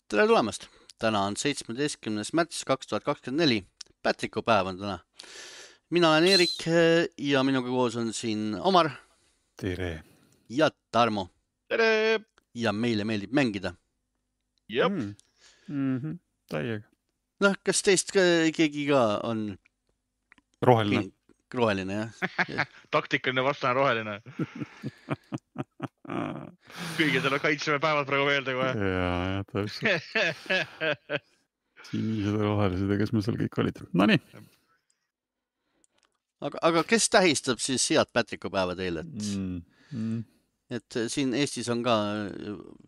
Tere tulemast! Täna on 17. märts 2024. Pätriku päev on täna. Mina olen Eerik ja minuga koos on siin Omar. Tere! Ja Tarmo. Tere! Ja meile meeldib mängida. Jep. Täiega. Noh, kas teist keegi ka on Roheline. roheline, jah? Taktikaline vastane roheline. Kõige selle kaitseme päevad praegu meelde kohe. Ja, täpselt. Sinised rohelised ja kes me seal kõik olid. No nii. Aga kes tähistab siis head Pätriku päeva teile? Et siin Eestis on ka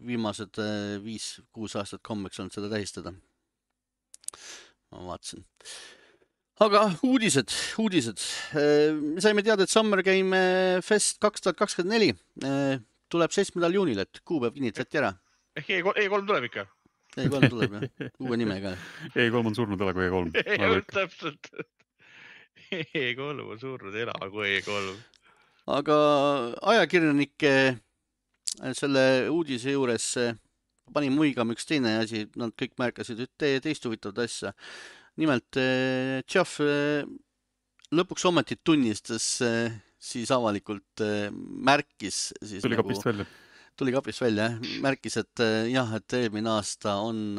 viimased 5-6 aastat kombeks olnud seda tähistada. Ma vaatasin. Aga uudised. Me saime teada, et Summer Game Fest 2024 tuleb 7. juunil, et kuupäev kinnitati ära. Ehk E3 tuleb ikka? E3 tuleb, jah. Uue nimega. E3 on surnud ela kui E3. Täpselt. E3 on surnud ela kui E3. Aga ajakirjanike selle uudise juures pani muigama üks teine asi. Nad kõik märkasid teist huvitavat asja. Nimelt Geoff lõpuks ometi tunnistas siis avalikult märkis. Siis Tuli kapist välja. Tuli kapist välja, märkis, et jah, et eelmine aasta on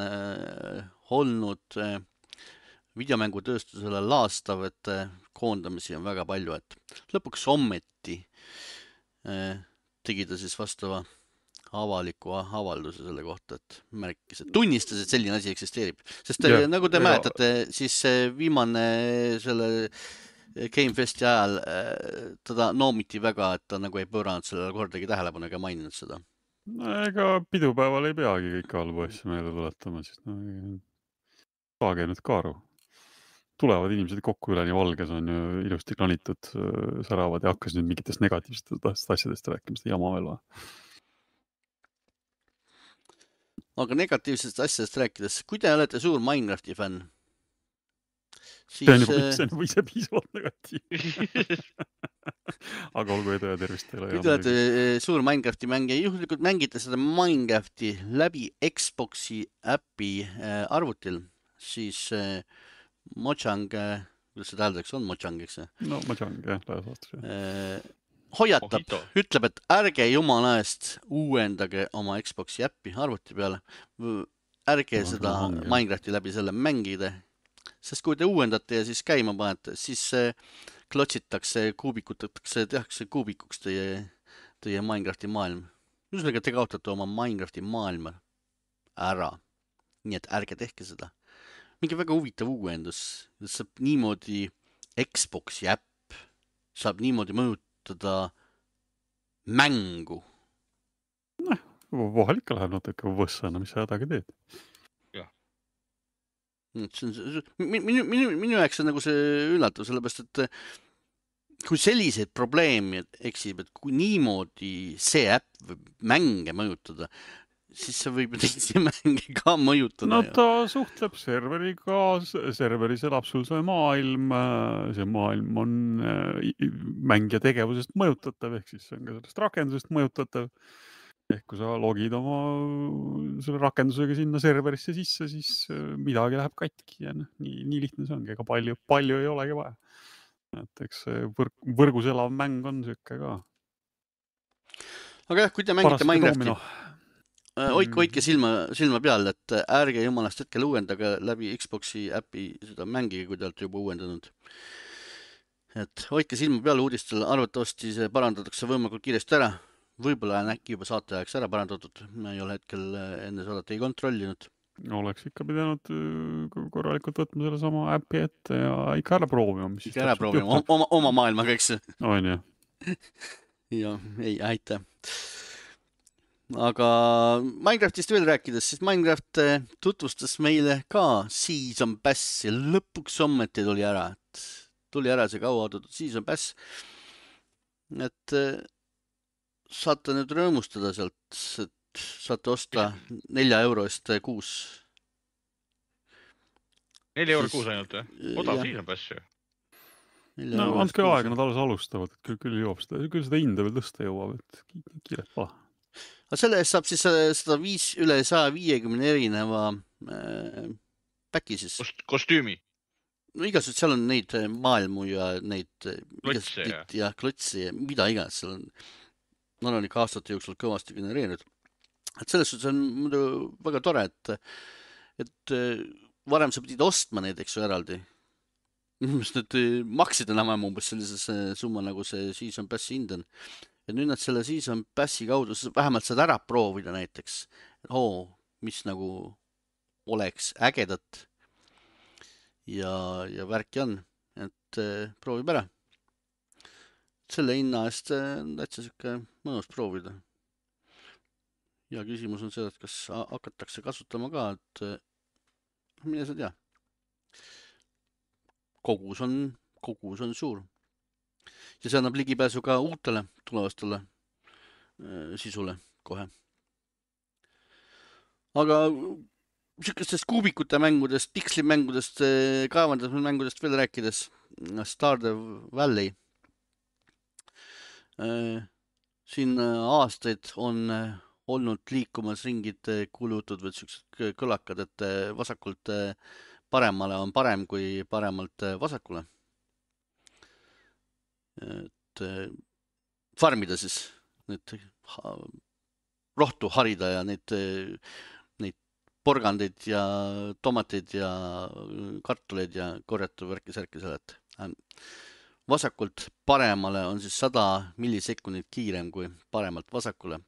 olnud videomängutööstusele laastav, et koondamisi on väga palju, et lõpuks ometi tegi ta siis vastava avaliku avalduse selle kohta, et märkis, et tunnistas, et selline asi eksisteerib. Sest nagu te mäletate, siis viimane selle Gamefesti ajal teda noomiti väga, et ta nagu ei pööranud sellele kordagi tähelepanu ega maininud seda. No ega pidupäeval ei peagi kõik halbu asju meelde tuletama, siis saage nüüd ka aru. Tulevad inimesed kokku üleni valges, on ju ilusti klanitud, säravad ja hakkas nüüd mingitest negatiivsetest asjadest rääkima, seda jama veel või? Aga negatiivsest asjadest rääkides, kui te olete suur Minecrafti fänn? See on juba ise piisavalt negatiivne. Aga olgu edu ja tervist teile. Kui te olete suur Minecrafti mängija, juhuslikult mängite seda Minecrafti läbi Xboxi äpi arvutil, siis Mojang, kuidas seda hääldaks, on Mojang, eks? No Mojang, jah, laias vastus. Hoiatab, ütleb, et ärge jumala eest uuendage oma Xboxi äppi arvuti peale. Ärge seda Minecrafti läbi selle mängida. Sest kui te uuendate ja siis käima panete, siis klotsitakse, kuubikutatakse, tehakse kuubikuks teie Minecrafti maailm. Ühesõnaga, te kaotate oma Minecrafti maailma ära. Nii et ärge tehke seda. Mingi väga huvitav uuendus. Saab niimoodi Xboxi äpp saab niimoodi mõjutada mängu. Vahel ikka läheb natuke võssana, mis sa hädaga teed. Minu jaoks on nagu see üllatus, sellepärast, et kui selliseid probleeme eksib, et kui niimoodi see äpp võib mänge mõjutada, siis see võib teisi mänge ka mõjutada. No ta suhtleb serveriga, serveris elab sul see maailm on mängija tegevusest mõjutatav, ehk siis see on ka sellest rakendusest mõjutatav. Ehk kui sa logid oma selle rakendusega sinna serverisse sisse, siis midagi läheb katki ja nii lihtne see ongi, ega palju ei olegi vaja. Et eks võrgus elav mäng on söke ka. Aga jah, kui te mängite Minecrafti, hoidke silma peal, et ärge jumalast hetkel uuendage läbi Xboxi äpi seda mängige, kui te olete juba uuendanud. Et hoidke silma peal uudistel, arvatavasti see parandatakse võimalikult kiiresti ära. Võib-olla on äkki juba saate ajaks ära parandatud. Ma ei ole hetkel enne saadet ei kontrollinud. Oleks ikka pidanud korralikult võtma selle sama äpi ette ja ikka ära proovima. Ikka ära proovima, oma maailmaga, eks? On, jah. Ja, ei, aitäh. Aga Minecraftist veel rääkides, siis Minecraft tutvustas meile ka Season Pass ja lõpuks ometi tuli ära. Tuli ära see kauaoodatud Season Pass. Et saate nüüd rõõmustada sealt, et saate osta 4 euro eest kuus. 4 euro kuus ainult, odav Season Pass ju. No andke aega, nad alles alustavad, et küll jõuab seda hinda veel tõsta jõuab, et kiiret paha. aga selle eest saab siis üle 150 erineva päki siis. Kostüümi. No igasugused, seal on neid maailmu ja neid klotse ja mida iganes seal on. Nad on ikka aastate jooksul kõvasti genereerinud. Et selles suhtes on muidu väga tore, et varem sa pidid ostma neid, eks ju, eraldi. Sest need maksid enam umbes sellises summa, nagu see Season Passi hind on. Ja nüüd nad selle Season Passi kaudu vähemalt saad ära proovida näiteks. Mis nagu oleks ägedat ja värki on. Et proovib ära. Selle hinna eest täitsa siuke mõnus proovida. Ja küsimus on see, et kas hakatakse kasutama ka, et mine sa tea. Kogus on suur. Ja see annab ligipääsu ka uutele tulevastele sisule kohe. Aga siukestest kuubikute mängudest, pikslimängudest, kaevandamismängudest veel rääkides. Stardew Valley. Siin aastaid on olnud liikumas ringid kuulutud või siuksed kõlakad, et vasakult paremale on parem kui paremalt vasakule. Et farmida siis, need rohtu harida ja neid porgandeid ja tomateid ja kartuleid ja korjata värki-särki sellest. Vasakult paremale on siis 100 millisekundit kiirem kui paremalt vasakule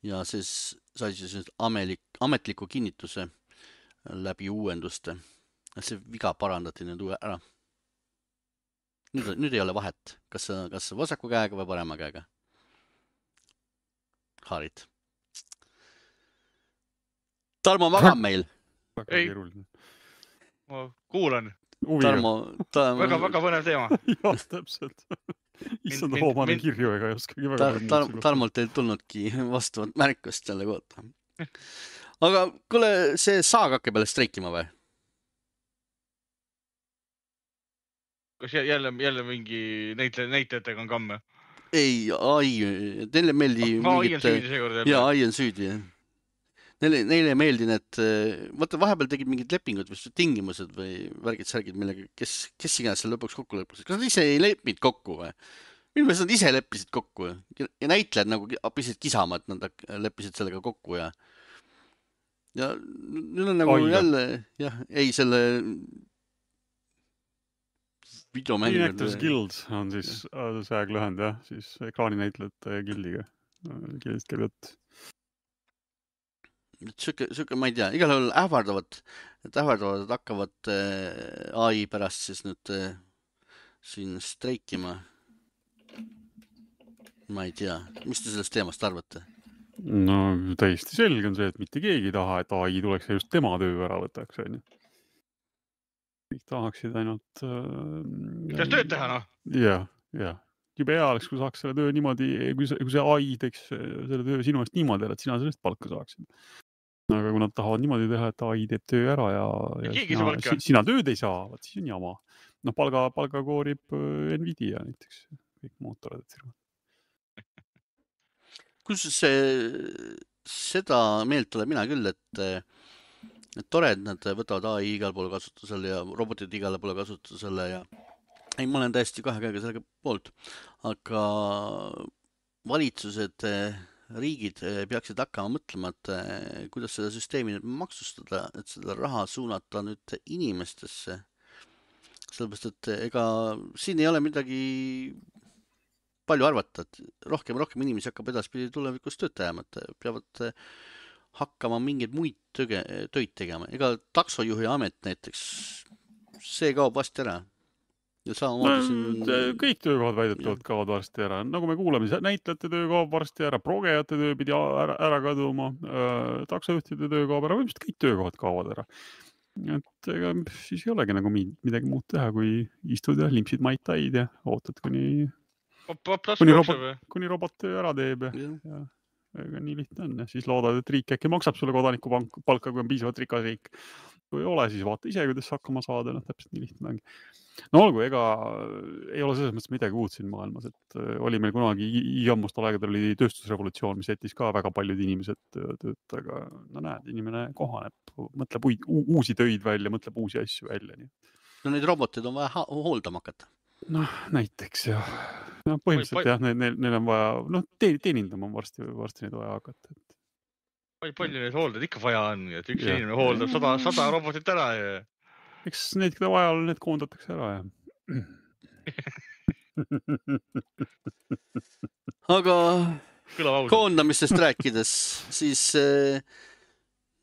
ja siis sai siis ametliku kinnituse läbi uuenduste. See viga parandati nüüd ära. Nüüd ei ole vahet, kas vasaku käega või parema käega. Harid. Tarmo magab meil. Ei, ma kuulan. Väga põnev teema. Jah, täpselt. Issand hoomane kirju ega ei oskagi väga Tarmolt ei tulnudki vastavat märkust selle kohta. Aga kuule, see saag hakkab jälle streikima või? Kas jälle mingi näitajatega on kamme? Ei, ai, neile meeldi ai on süüdi seekord jälle. Jaa, ai on süüdi. Neile meeldi need, vaata vahepeal tegid mingid lepingud või tingimused või värgid-särgid, millega kes iganes seal lõpuks kokku leppisid. Kas nad ise ei leppinud kokku või? Minu meelest nad ise leppisid kokku ja näitlejad nagu pisid kisama, et nad leppisid sellega kokku ja nüüd on nagu jälle, jah, ei selle videomängud. Actors Guild on siis see aeg lühend, jah, siis ekraaninäitlejate gildiga. Gildist käib jutt. Siuke, ma ei tea, igal juhul ähvardavad hakkavad AI pärast siis nüüd siin streikima. Ma ei tea, mis te sellest teemast arvate? No täiesti selge on see, et mitte keegi ei taha, et AI tuleks ja just tema töö ära võtaks. Kõik tahaksid ainult... Kuidas tööd teha, noh? Jah. Jube hea oleks, kui saaks selle töö niimoodi, kui see AI teeks selle töö sinu eest niimoodi, et sina sellest palka saaksid. Aga kui nad tahavad niimoodi teha, et AI teeb töö ära ja sina tööd ei saa, vaat siis on jama. No palga koorib Nvidia näiteks, kõik mootorid firmad. Kus seda meelt olen mina küll, et tore, et nad võtavad AI igal pool kasutusele ja robotid igale poole kasutusele ja ei, ma olen täiesti kahe käega sellega poolt, aga valitsused, riigid peaksid hakkama mõtlema, et kuidas seda süsteemi nüüd maksustada, et seda raha suunata nüüd inimestesse. Sellepärast, et ega siin ei ole midagi palju arvata, et rohkem inimesi hakkab edaspidi tulevikus tööd tegema, et peavad hakkama mingeid muid töid tegema. Ega taksojuhi amet näiteks, see kaob vasti ära. Ja kõik töökohad väidetavalt kaovad varsti ära. Nagu me kuuleme, näitlejate töö kaob varsti ära, progejate töö pidi ära kaduma, taksojuhtide töö kaob ära, võimsalt kõik töökohad kaovad ära. Et ega siis ei olegi nagu midagi muud teha, kui istud ja limpsid Mai Taid ja ootad, kuni robot töö ära teeb ja ega nii lihtne on. Ja siis loodad, et riik äkki maksab sulle kodaniku palka, kui on piisavalt rikas riik. kui ei ole, siis vaata ise, kuidas hakkama saada, täpselt nii lihtne ongi. No olgu, ega ei ole selles mõttes midagi uut siin maailmas, et oli meil kunagi jammustal aegadel oli tööstusrevolutsioon, mis jättis ka väga paljud inimesed tööta, aga no näed, inimene kohaneb, mõtleb uusi töid välja, mõtleb uusi asju välja. Nii. No neid roboteid on vaja hooldama hakata. Noh, näiteks jah. No, põhimõtteliselt jah, neil on vaja, teenindama on varsti neid vaja hakata. Palju neid hooldada ikka vaja on, et üks inimene hooldab 100 robotit ära ja... Eks neid, keda vaja on, need koondatakse ära ja... Aga koondamistest rääkides, siis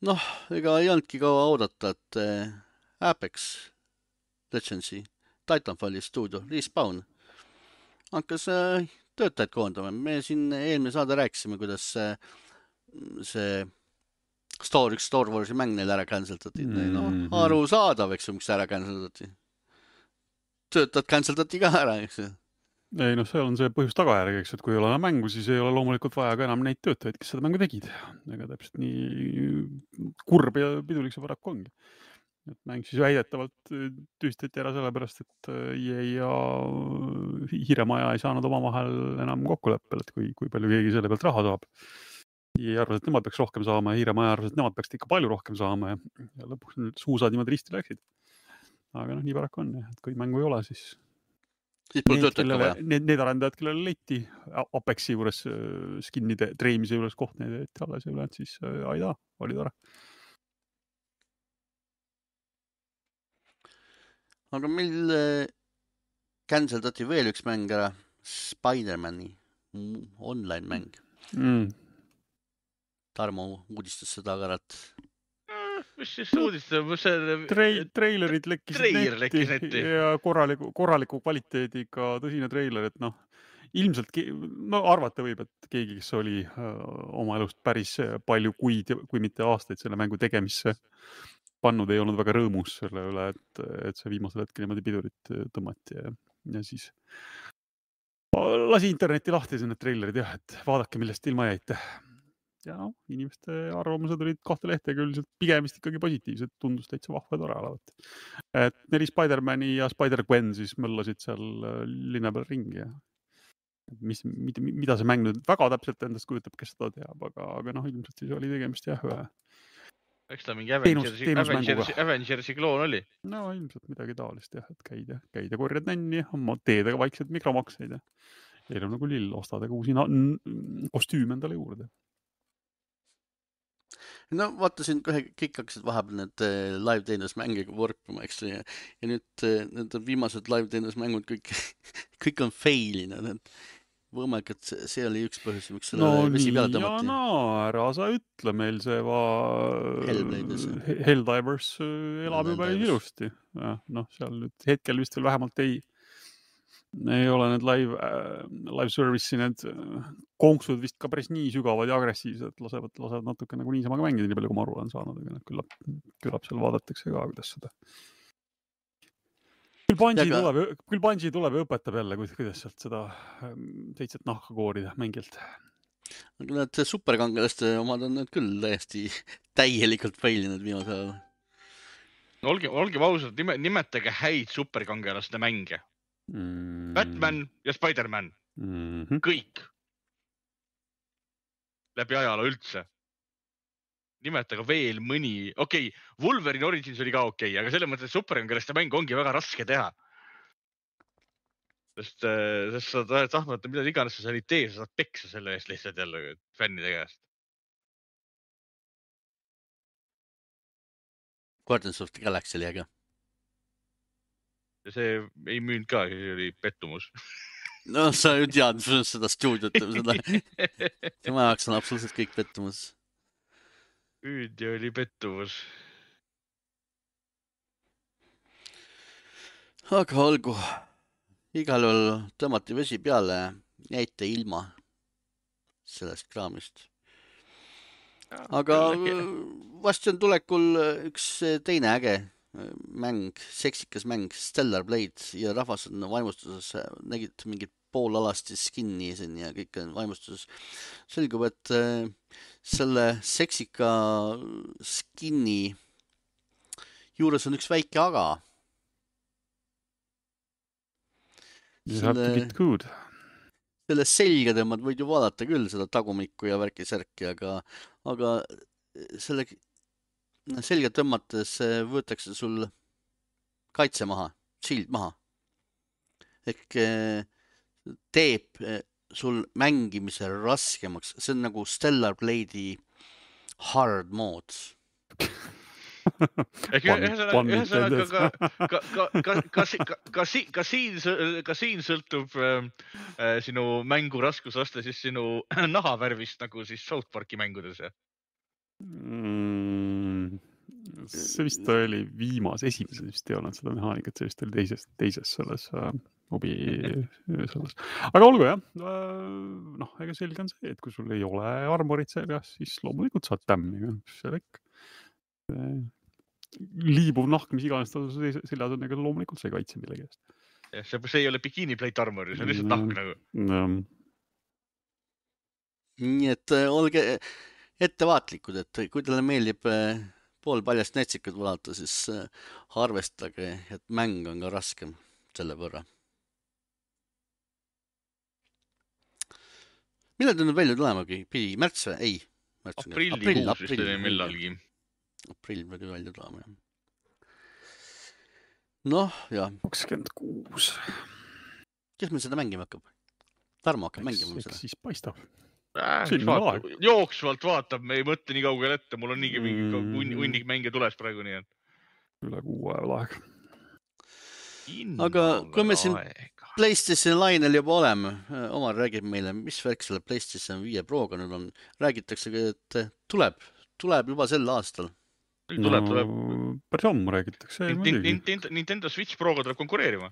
ega ei olnudki kaua oodata, et Apex Legendsi Titanfalli stuudio Respawn hakkas töötajad koondama. Me siin eelmine saade rääkisime, kuidas see Star Warsi mäng neil ära canceltati. Arusaadav, eks ju, miks ära canceltati. Töötajad canceltati ka ära, eks ju. Ei, seal on see põhjus tagajärg, eks, et kui ei ole enam mängu, siis ei ole loomulikult vaja ka enam neid töötajaid, kes seda mängu tegid. Ega täpselt nii kurb ja pidulik see paraku ongi. Et mäng siis väidetavalt tühistati ära sellepärast, et EA ja Hiiremaja ei saanud omavahel enam kokkuleppel, et kui palju keegi selle pealt raha saab. EA arvas, et nemad peaks rohkem saama ja Hiiremaja arvas, et nemad peaks ikka palju rohkem saama ja lõpuks need suusad niimoodi risti läksid. Aga nii paraku on, et kui mängu ei ole, siis need arendajad, kellele leiti Apexi juures skinnide treimise juures koht need alles ja ülejäänud, siis aida, oli tore. Aga meil canceldati veel üks mäng ära, Spider-Mani online mäng. Tarmo uudistas seda agaralt. Mis siis uudistas? Treilerid lekkisid netti ja korraliku kvaliteediga tõsine treiler, et ilmselt arvata võib, et keegi, kes oli oma elust päris palju kuid, kui mitte aastaid selle mängu tegemisse pannud, ei olnud väga rõõmus selle üle, et see viimasel hetkel niimoodi pidurit tõmmati ja siis lasi interneti lahti need treilerid jah, et vaadake, millest ilma jäite. Ja inimeste arvamused olid 2 lehtega üldiselt pigem vist ikkagi positiivsed, tundus täitsa vahva ja tore olevat. Et 4 Spider-Mani ja Spider-Gwen siis möllasid seal linna peal ringi ja mida see mäng nüüd väga täpselt endast kujutab, kes seda teab, aga ilmselt siis oli tegemist jah ühe. Eks ta mingi Avengersi kloon oli? No ilmselt midagi taolist jah, et käid ja korjad nänni, teedega vaikselt mikromakseid ja eelem nagu lill, ostadega uusi kostüüme endale juurde. No vaatasin, kõik hakkasid vahepeal need live-teenusmängiga vorpima, eks ja nüüd need viimased live-teenusmängud kõik on failinud. Võimalik, et see oli üks põhjus, miks selle vesi peale tõmmati. Ära sa ütle, meil see Helldivers elab ju päris ilusti. Seal nüüd hetkel vist veel vähemalt ei ole need live service'i need konksud vist ka päris nii sügavad ja agressiivsed, lasevad natuke nagu niisama ka mängida, nii palju kui ma aru olen saanud, aga küllap seal vaadatakse ka, kuidas seda. Küll Bungie tuleb ja õpetab jälle, kuidas sealt seda 7 nahka koorida mängilt. Aga need superkangelaste omad on need küll täielikult failinud viimasel ajal. Olgem ausalt, nimetage häid superkangelaste mänge. Batman ja Spider-Man. Kõik. Läbi ajaloo üldse. Nimetage veel mõni. Okei, Wolverine Origins oli ka okei, aga selle mõttes superkangelaste mäng ongi väga raske teha. Sest sa tahtmata mida iganes sa ei tee, sa saad peksa selle eest lihtsalt jälle fännide käest. Guardians of the Galaxy oli äge. Ja see ei müünud ka, see oli pettumus. No sa ju tead seda stuudiot. Tema jaoks on absoluutselt kõik pettumus. Hüüd ja oli pettumus. Aga olgu. Igal juhul tõmmati vesi peale, jäite ilma sellest kraamist. Aga vast on tulekul üks teine äge mäng, seksikas mäng, Stellar Blade ja rahvas on vaimustuses, nägid mingid poolalasti skinni siin ja kõik on vaimustuses. Selgub, et selle seksika skinni juures on üks väike aga. You have to get good. Selle selga tõmmad võid ju vaadata küll seda tagumikku ja värki-särki, aga selle selga tõmmates võetakse sul kaitse maha, shield maha. Ehk teeb sul mängimise raskemaks. See on nagu Stellar Blade'i hard mode. Ühesõnaga ka siin sõltub sinu mängu raskusaste siis sinu nahavärvist nagu siis South Parki mängudes. See vist oli esimeses vist ei olnud seda mehaanikat, see vist oli teises selles hobi selles. Aga olgu jah, ega selge on see, et kui sul ei ole armorit seljas, siis loomulikult saad tämmi. Liibuv nahk, mis iganes seljas on, ega loomulikult see kaitse millegi eest. See ei ole bikini plate armor, see on lihtsalt nahk nagu. Nii et olge ettevaatlikud, et kui teile meeldib poolpaljast netsikud vaadata, siis arvestage, et mäng on ka raskem selle võrra. Millal ta nüüd välja tulemagi? Pidi märts või? Ei. Aprillikuus vist oli millalgi. Aprill pidi välja tulema, jah. Noh, jah. 26. Kes meil seda mängima hakkab? Tarmo hakkab mängima seda. Siis paistab. Jooksvalt vaatab, me ei mõtle nii kaugel ette, mul on niigi mingi hunnik mänge tules praegu nii. Üle 6 ajal aeg. Aga kui me siin PlayStation lainel juba oleme, Omar räägib meile, mis värk selle PlayStation 5 Proga nüüd on. Räägitakse, et tuleb juba sel aastal. Tuleb. Päris ammu räägitakse. Nintendo Switch Proga tuleb konkureerima.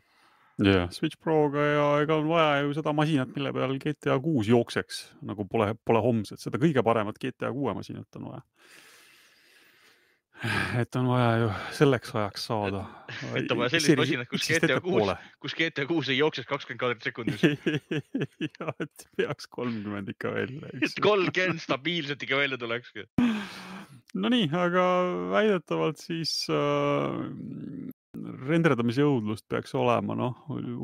Jah, Switch Proga ja ega on vaja ju seda masinat, mille peal GTA 6 jookseks, nagu pole homset. Seda kõige paremat GTA 6 masinat on vaja. Et on vaja ju selleks ajaks saada. Et on vaja sellist masinat, kus GTA 6 ei jookseks 20 kaadrit sekundis. Ja, et peaks 30 ikka välja. Et 30 stabiilselt ikka välja tuleks. No nii, aga väidetavalt siis renderdamise jõudlust peaks olema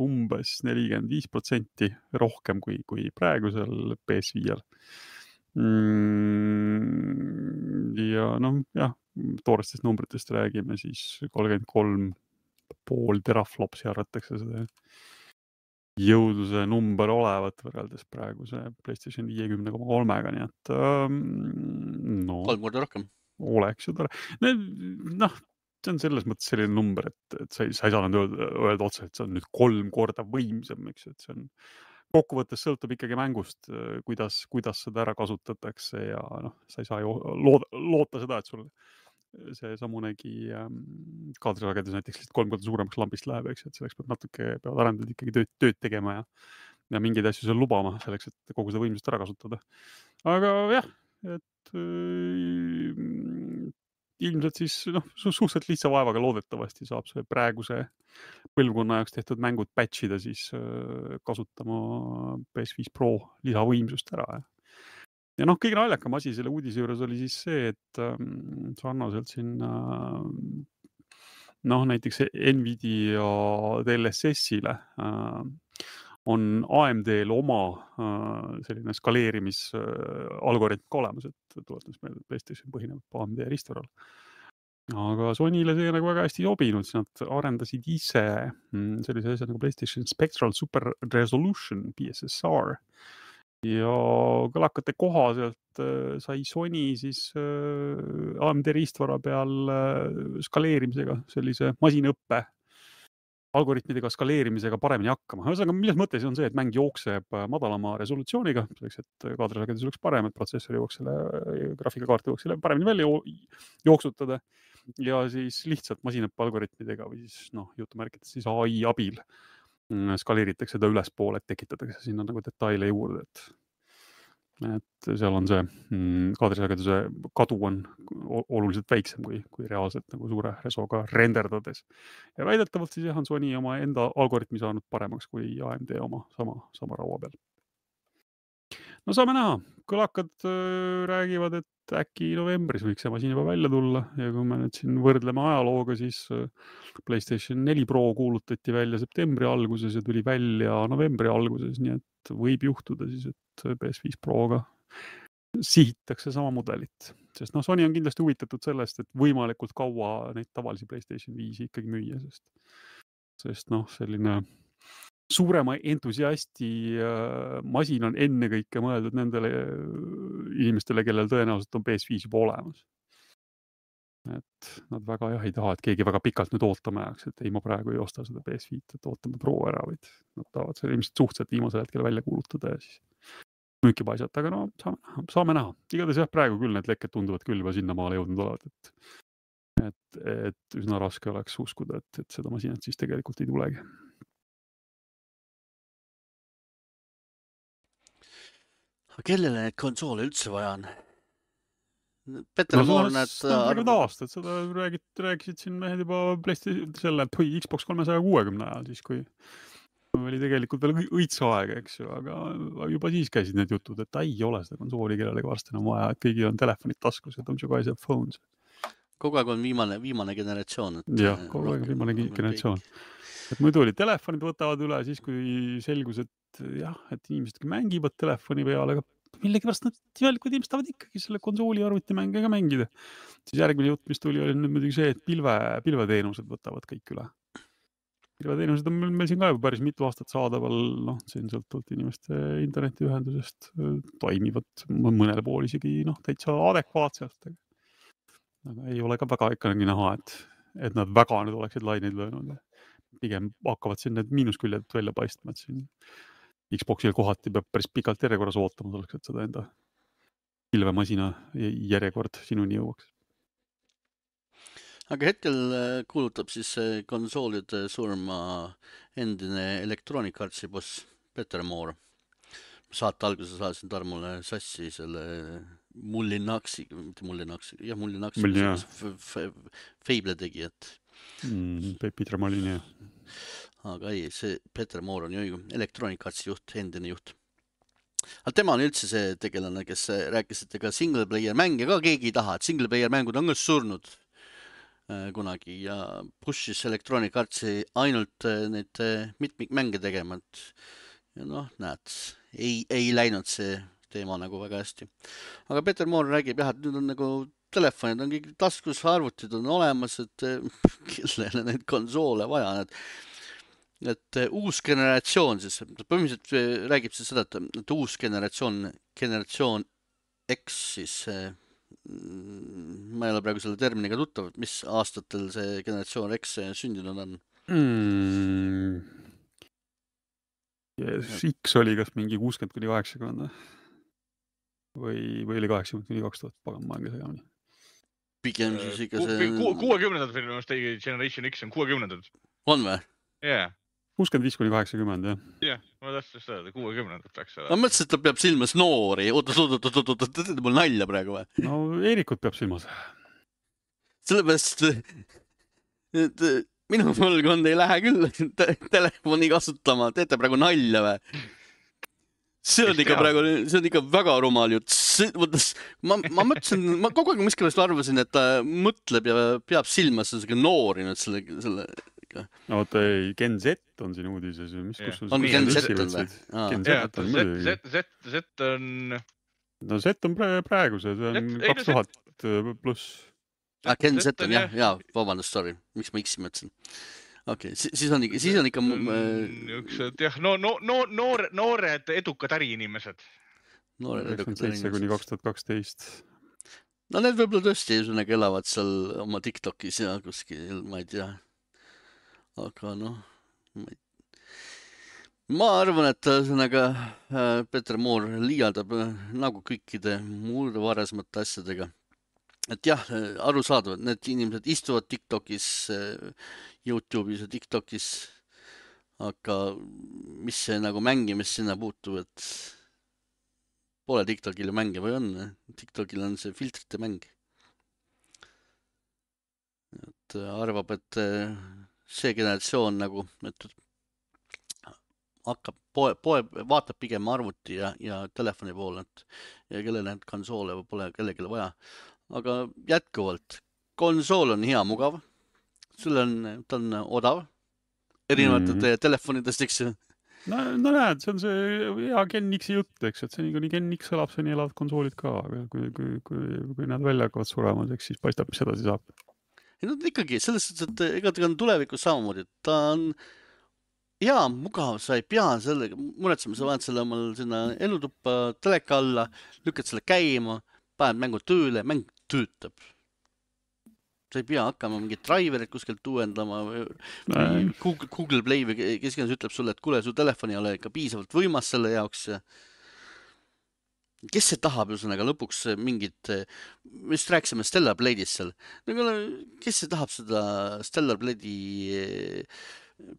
umbes 45% rohkem kui praegusel PS5-l. Ja jah, toorestest numbritest räägime, siis 33,5 teraflopsi arvatakse seda jõudluse number olevat võrreldes praeguse PlayStation 50,3-ga, nii et 3 korda rohkem. Oleks ju tore. See on selles mõttes selline number, et sa ei saa öelda otse, et see on nüüd 3 korda võimsam, eks, et see on kokkuvõttes sõltub ikkagi mängust, kuidas seda ära kasutatakse ja sa ei saa ju loota seda, et sul see samunegi kaadrisagedus näiteks 3 korda suuremaks lambist läheb, eks, et selleks peavad arendajad ikkagi tööd tegema ja mingeid asju seal lubama selleks, et kogu seda võimsust ära kasutada. Aga jah, et ilmselt siis suhteliselt lihtsa vaevaga loodetavasti saab see praeguse põlvkonna jaoks tehtud mängud patchida siis kasutama PS5 Pro lisavõimsust ära. Ja kõige naljakam asi selle uudise juures oli siis see, et sarnaselt siin näiteks Nvidia DLSS-ile on AMD-l oma selline skaleerimisalgoritm ka olemas, et tuletas meelde, et PlayStation põhineb AMD riistvaral. Aga Sonyle see nagu väga hästi sobinud, siis nad arendasid ise sellise asja nagu PlayStation Spectral Super Resolution, PSSR. Ja kõlakate kohaselt sai Sony siis AMD riistvara peal skaleerimisega, sellise masinõppe algoritmidega skaleerimisega paremini hakkama. Ühesõnaga, milles mõttes on see, et mäng jookseb madalama resolutsiooniga, selleks, et kaadrisagedus oleks parem, et protsessor jooks selle, graafikakaart jooks selle paremini välja jooksutada ja siis lihtsalt masinõppe algoritmidega või siis jutumärkides siis AI abil skaleeritakse ta ülespoole, et tekitatakse sinna nagu detaile juurde, et seal on see kaadrisageduse kadu on oluliselt väiksem kui reaalselt nagu suure resoga renderdades. Ja väidetavalt siis on Sony oma enda algoritmi saanud paremaks kui AMD oma sama raua peal. No saame näha. Kõlakad räägivad, et äkki novembris võiks see masin juba välja tulla ja kui me nüüd siin võrdleme ajalooga, siis PlayStation 4 Pro kuulutati välja septembri alguses ja tuli välja novembri alguses, nii et võib juhtuda siis, et PS5 Proga sihitakse sama mudelit. Sest Sony on kindlasti huvitatud sellest, et võimalikult kaua neid tavalisi PlayStation 5 ikkagi müüa, sest selline suurema entusiasti masin on ennekõike mõeldud nendele inimestele, kellel tõenäoliselt on PS5 juba olemas. Et nad väga ei taha, et keegi väga pikalt nüüd ootama jääks, et ei, ma praegu ei osta seda PS5, et ootame Pro ära, vaid nad tahavad selle ilmselt suhteliselt viimasel hetkel välja kuulutada ja siis müüki paisata, aga saame näha. Igatahes jah, praegu küll need lekked tunduvad küll juba sinnamaale jõudnud olevat, et üsna raske oleks uskuda, et seda masinat siis tegelikult ei tulegi. Kellele neid konsoole üldse vaja on? Peter Moore näed... aastat, seda rääkisid siin mehed juba selle Xbox 360 ajal, siis kui oli tegelikult veel õitsa aega, eks ju, aga juba siis käisid need jutud, et ei ole seda konsooli kellelegi varsti enam vaja, et kõigil on telefonid taskus, et on you guys have phones. Kogu aeg on viimane generatsioon. Jah, kogu aeg on viimane generatsioon. Et muidu oli telefonid võtavad üle siis, kui selgus, et jah, et inimesed mängivad telefoni peale, aga millegipärast nad inimesed tahavad ikkagi selle konsooli arvutimänge ka mängida. Siis järgmine jutt, mis tuli, oli nüüd muidugi see, et pilveteenused võtavad kõik üle. Pilveteenused on meil siin ka juba päris mitu aastat saadaval, siin sõltuvalt inimeste internetiühendusest toimivad mõnel pool isegi täitsa adekvaatselt. Aga ei ole ka väga ikkagi näha, et nad väga nüüd oleksid laineid löönud. Pigem hakkavad siin need miinusküljed välja paistma, et siin Xboxil kohati peab päris pikalt järjekorras ootama selleks, et seda enda pilvemasina järjekord sinuni jõuaks. Aga hetkel kuulutab siis konsoolide surma endine Electronic Artsi boss Peter Moore. Saate alguses saasin Tarmule sassi selle Mullinaksi, Fable tegijat. Peter Molin, jah. Aga ei, see Peter Moore on ju Electronic Artsi juht, endine juht. Aga tema on üldse see tegelane, kes rääkis, et ega single player mänge ka keegi ei taha, et single player mängud on ka surnud kunagi ja pushis Electronic Artsi ainult neid mitmikmänge tegema, ja näed, ei läinud see teema nagu väga hästi. Aga Peter Moore räägib jah, et nüüd on nagu telefonid on kõik taskus, arvutid on olemas, et kellele neid konsoole vaja on, et uus generatsioon siis, põhimõtteliselt räägib siis seda, et uus generatsioon X siis ma ei ole praegu selle terminiga tuttav, mis aastatel see generatsioon X sündinud on? X oli kas mingi 60-80 või oli 80-2000, pagan ma olen ka segamini. Pigem siis ikka see... 60-ndad minu meelest Generation X on 60-ndad. On või? Jaa. 65-80, jah. Jah, ma tahtsin seda, 60-ndad peaks seda. Ma mõtlesin, et ta peab silmas noori. Oota, teete mul nalja praegu või? No Eerikut peab silmas. Sellepärast, et minu põlvkond ei lähe küll telefoni kasutama. Teete praegu nalja või? See on ikka väga rumal jutt. Ma mõtlesin, ma kogu aeg miskipärast arvasin, et ta mõtleb ja peab silmas sellega noori nüüd selle... No ei, Gen Z on siin uudises. On Gen Z on või? Z on... No Z on praegu see on 2000 pluss. Gen Z on jah, vabandust, sorry. Miks ma X-i mõtlesin? Okei, siis on ikka... Jah, noored edukad äriinimesed. Noored edukad äriinimesed. Kuni 2012. No need võib-olla tõesti elavad seal oma TikTokis ja kuskil, ma ei tea. Aga ma arvan, et Peter Moore liialdab nagu kõikide muude varasemate asjadega. Et jah, arusaadavad, need inimesed istuvad TikTokis, YouTube'is ja TikTokis, aga mis see nagu mängimist sinna puutub, et pole TikTokil mänge või on? TikTokil on see filtrite mäng. Et arvab, et see generatsioon nagu hakkab vaatab pigem arvuti ja telefoni poole, ja kellel need konsoole pole kellelegi vaja. Aga jätkuvalt, konsool on hea, mugav, ta on odav, erinevalt telefonidest, eks ju. No näed, see on see hea Gen X-i jutt, eks, et see nii Gen X elab, see nii elavad konsoolid ka, aga kui nad välja hakkavad surema, eks siis paistab, mis edasi saab. Ja no ikkagi, selles suhtes, et ega ta on tulevikus samamoodi, ta on hea, mugav, sa ei pea sellega muretsema, sa vahed selle omal sinna elutuppa teleka alla, lükkad selle käima, paned mängu tööle, mäng töötab. Sa ei pea hakkama mingit driverit kuskilt uuendama või Google Play või kes ütleb sulle, et kuule, su telefoni ei ole ikka piisavalt võimas selle jaoks. Kes see tahab ühesõnaga lõpuks mingit, me just rääkisime Stellar Blade'ist seal, kes see tahab seda Stellar Blade'i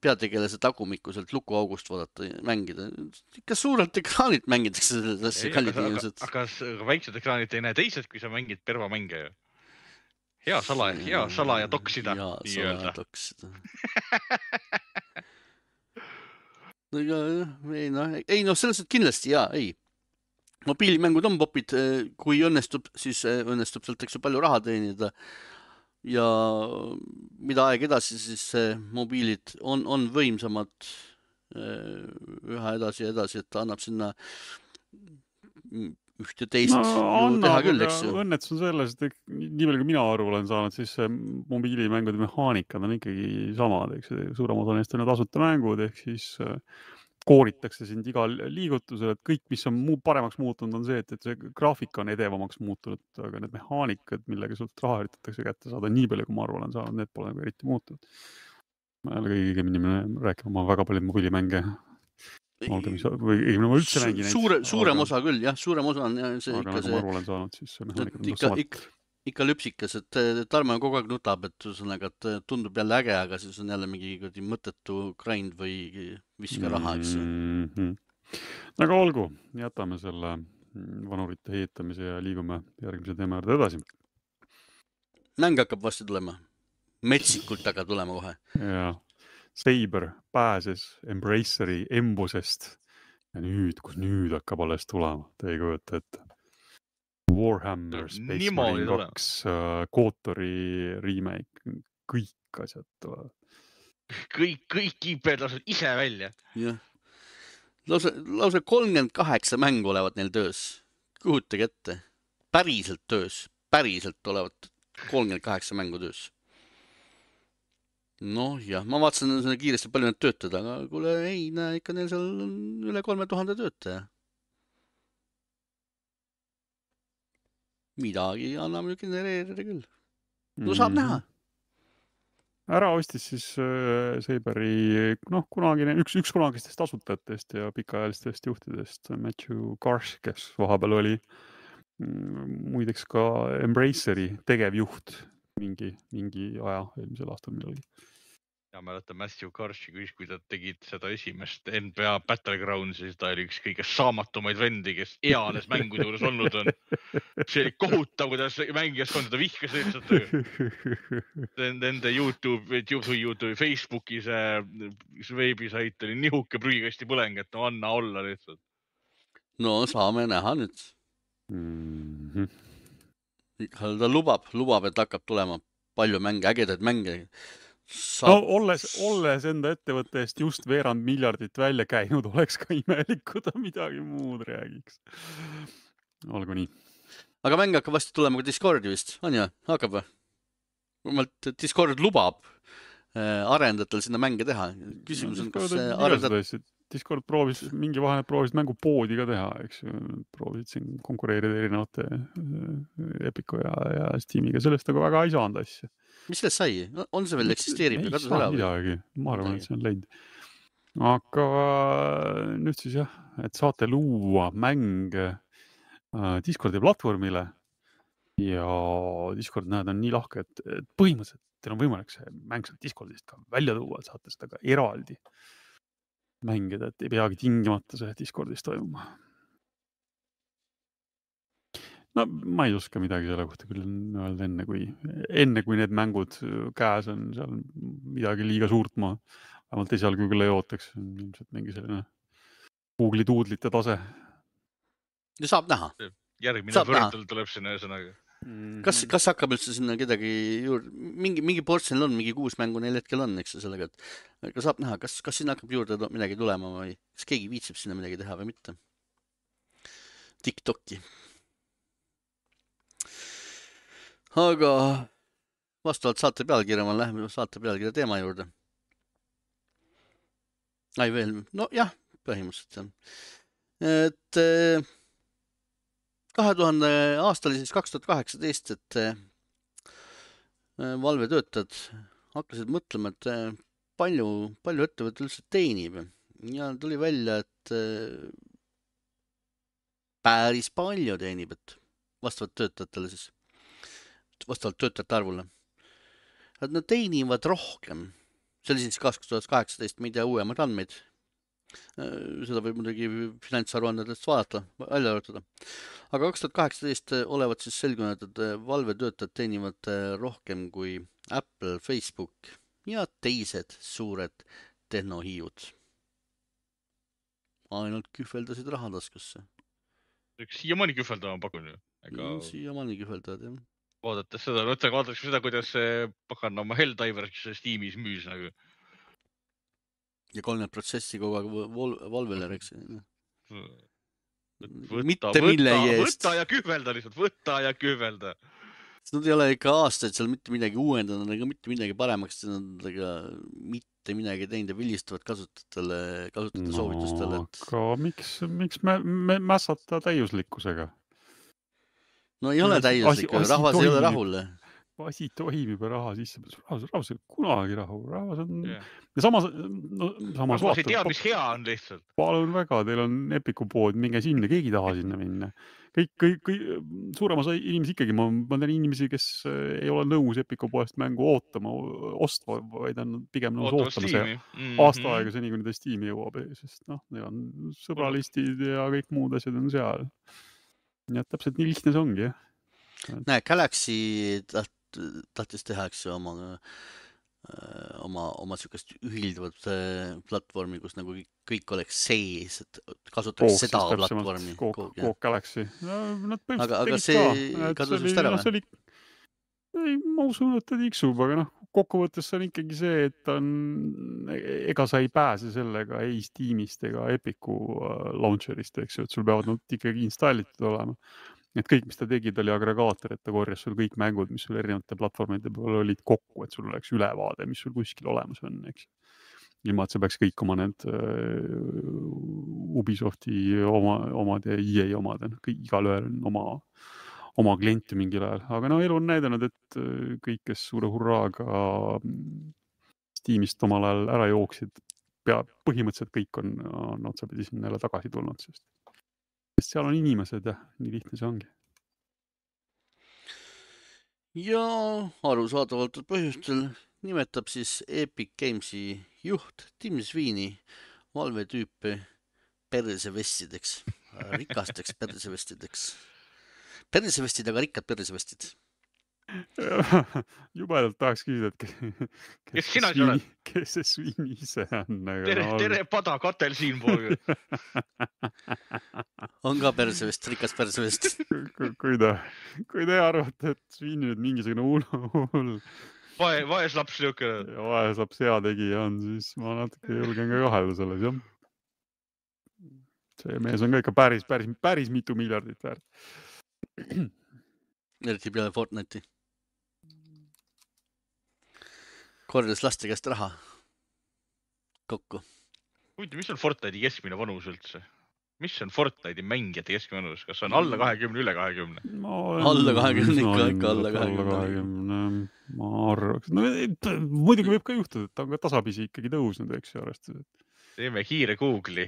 peategelase tagumikku sealt lukuaugust vaadata ja mängida? Ikka suurelt ekraanilt mängitakse sellesse kallid inimesed. Aga väiksed ekraanid ei näe teised, kui sa mängid pervamänge ju. Hea sala ja toksida. Hea sala ja toksida. Ei, selles et kindlasti ei. Mobiilimängud on popid, kui õnnestub, siis õnnestub sealt eks ju palju raha teenida ja mida aeg edasi, siis mobiilid on võimsamad üha edasi, et ta annab sinna ühte teist teha küll, eks ju. Õnnetus on selles, et nii palju kui mina aru olen saanud, siis mobiilimängude mehaanikad on ikkagi samad, eks suurem osa neist on tasuta mängud, ehk siis kooritakse sind igal liigutusel, et kõik, mis on paremaks muutunud, on see, et see graafika on edevamaks muutunud, aga need mehaanikad, millega sult raha üritatakse kätte saada, nii palju, kui ma aru olen saanud, need pole nagu eriti muutunud. Ma ei ole kõige inimene rääkima, ma väga palju mobiilimänge või ma üldse mängin neid. Suurem osa küll, jah, suurem osa on see aga nagu ma aru olen saanud, siis see mehaanikad on ikka lüpsikas, et Tarmo kogu aeg nutab, et tundub jälle äge, aga siis on jälle mingi mõttetu grind või viska raha, eks. Aga olgu, jätame selle vanurite heitamise ja liigume järgmise teema juurde edasi. Mäng hakkab vasti tulema. Metsikult aga tulema kohe. Ja Saber pääses Embraceri embusest ja nüüd hakkab alles tulema, te ei kujuta ette. Warhammer, Space Marine 2, Kotori remake, kõik asjad tulevad. Kõik IP-d lased ise välja. Jah. Lausa 38 mängu olevat neil töös. Kuhutage ette. Päriselt töös. Päriselt olevat 38 mängu töös. Noh, jah, ma vaatasin kiiresti palju need töötada, aga kuule, ei näe, ikka neil seal on üle 3000 töötaja. Midagi anname ju genereerida küll. No saab näha. Ära ostis siis Saberi, kunagine, üks kunagistest asutajatest ja pikaajalistest juhtidest, Matthew Karsh, kes vahepeal oli muideks ka Embraceri tegevjuht mingi aja eelmisel aastal millalgi. Ja mäletan Matthew Karshi, kui ta tegid seda esimest NBA Battlegrounds, siis ta oli üks kõige saamatumaid vendi, kes eales mängude juures olnud on. See oli kohutav, kuidas mängijaskond seda vihkas lihtsalt. Nende YouTube, Facebooki see veebisait oli nihuke prügikasti põleng, et no anna olla lihtsalt. No saame näha nüüd. Ta lubab, et hakkab tulema palju mänge, ägedaid mänge. Olles enda ettevõtte eest just veerand miljardit välja käinud, oleks ka imelik, kui ta midagi muud räägiks. Olgu nii. Aga mäng hakkab vasti tulema ka Discordi vist, on ju? Hakkab või? Discord lubab arendajatel sinna mänge teha. Küsimus on, kas arendajad... Discord mingi vahe proovisid mängupoodi ka teha, eks proovisid siin konkureerida erinevate Epico ja Steamiga, sellest aga väga ei saanud asja. Mis sellest sai? On see veel eksisteerib? Ei saa midagi, ma arvan, et see on läinud. Aga nüüd siis jah, et saate luua mänge Discordi platvormile ja Discord näed on nii lahke, et põhimõtteliselt teil on võimalik see mäng sealt Discordist ka välja tuua, et saate seda ka eraldi mängida, et ei peagi tingimata see Discordis toimuma. No ma ei oska midagi selle kohta küll öelda enne, kui need mängud käes on seal midagi liiga suurt ma vähemalt esialgu küll ei ootaks. Ilmselt mingi selline Google'i tuudlite tase. Ja saab näha. Järgmine võrdel tuleb sinna ühesõnaga. Kas hakkab üldse sinna kedagi juurde, mingi portsionil on, mingi 6 mängu neil hetkel on, eks sellega, et saab näha, kas sinna hakkab juurde midagi tulema või kas keegi viitsib sinna midagi teha või mitte. TikToki. Aga vastavalt saate pealkirja, ma lähen saate pealkirja teema juurde. Ai veel, no jah, põhimõtteliselt see on. Et 2000 aasta oli siis 2018, et Valve töötajad hakkasid mõtlema, et palju ettevõte üldse teenib. Ja tuli välja, et päris palju teenib, et vastavalt töötajatele siis, vastavalt töötajate arvule. Et nad teenivad rohkem. See oli siis 2018, ma ei tea uuemad andmeid. Seda võib muidugi finantsaruandedest vaadata, välja arvutada. Aga 2018 olevat siis selgunud, et Valve töötajad teenivad rohkem kui Apple, Facebook ja teised suured tehnohiiud. Ainult kühveldasid rahataskusse. Siiamaani kühveldama pakun ju. Siiamaani kühveldavad, jah. Vaadates seda, kuidas pakan oma Helldivers Steamis müüs nagu. Ja 30% kogu aeg Valvele reks. Võta ja kühvelda lihtsalt, võta ja kühvelda. Nad ei ole ikka aastaid seal mitte midagi uuendanud, ega mitte midagi paremaks, nad mitte midagi teinud ja vilistavad kasutajate soovitustele. Aga miks me mässata täiuslikkusega? No ei ole täiuslik, rahvas ei ole rahul. Asi toimib ja raha sisse. Rahvas ei kunagi rahu. Rahvas on... Ja samas rahvas ei tea, mis hea on lihtsalt. Palun väga, teil on Epiku pood, minge sinna, keegi taha sinna minna. Kõik suurem osa inimesi ikkagi, ma tean inimesi, kes ei ole nõus Epiku poest mängu ostma, vaid on pigem nõus ootama see aasta aega seni, kui nende Steam'i jõuab, sest neil on sõbralistid ja kõik muud asjad on seal. Ja täpselt nii lihtne see ongi, jah. Näe, Galaxy tahtis teha, eks oma sükest ühilduvat platvormi, kus nagu kõik oleks sees, et kasutaks seda platvormi. Kook Galaxy. Aga see kadus vist ära või? Ma usun, et ta tiksub, aga kokkuvõttes on ikkagi see, et ega sa ei pääse sellega ei Steamist ega Epiku launcherist, eks ju, et sul peavad nad ikkagi installitud olema. Et kõik, mis ta tegid, oli agregaator, et ta korjas sul kõik mängud, mis sul erinevate platvormide peal olid kokku, et sul oleks ülevaade, mis sul kuskil olemas on, eks. Ilma, et see peaks kõik oma need Ubisofti omad ja EA omad, igal ühel on oma klienti mingil ajal. Aga elu on näidanud, et kõik, kes suure hurraaga Steamist omal ajal ära jooksid, põhimõtteliselt kõik on otsapidi sinna jälle tagasi tulnud, sest seal on inimesed ja nii lihtne see ongi. Ja arusaadavalt põhjustel nimetab siis Epic Gamesi juht Tim Sweeney Valve tüüpi persevestideks, rikasteks persevestideks. Persevestid, aga rikkad persevestid. Jubedalt tahaks küsida, et kes see Sweeney ise on? Tere pada katel siin pool. On ka persevest, rikas persevest. Kui te arvate, et Sweeney nüüd mingisugune hull. Vaes laps niukene. Ja vaes laps hea tegija on, siis ma natuke julgen ka kahelda selles, jah. See mees on ka ikka päris mitu miljardit väärt. Eriti peale Fortnite'i. Kordas laste käest raha kokku. Huvitav, mis on Fortnite'i keskmine vanus üldse? Mis on Fortnite'i mängijate keskmine vanus? Kas on alla 20, üle 20? Alla 20, ikka alla 20. Ma arvaks. Muidugi võib ka juhtuda, et ta on ka tasapisi ikkagi tõusnud, eks ju arvestada. Teeme kiire Google'i.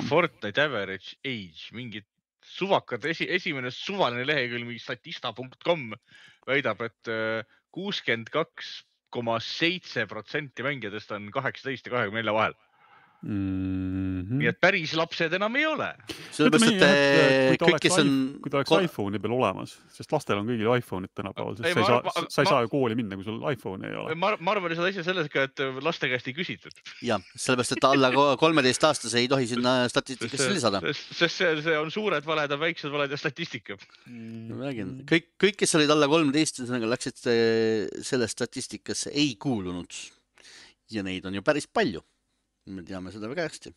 Fortnite average age, mingid suvakad, esimene suvaline lehekülg, mingi statista.com väidab, et 62,7% mängijatest on 18 ja 24 vahel. Nii et päris lapsed enam ei ole. Sellepärast, et kõik, kes on... Kui ta oleks iPhone'i peal olemas, sest lastel on kõigil iPhone'id tänapäeval, sest sa ei saa ju kooli minna, kui sul iPhone'i ei ole. Ma arvan seda asja selles ka, et laste käest ei küsitud. Ja, sellepärast, et alla 13-aastase ei tohi sinna statistikasse lisada. Sest see on suured valed ja väiksed valed ja statistika. Kõik, kes olid alla 13, läksid selle statistikasse ei kuulunud. Ja neid on ju päris palju. Me teame seda väga hästi.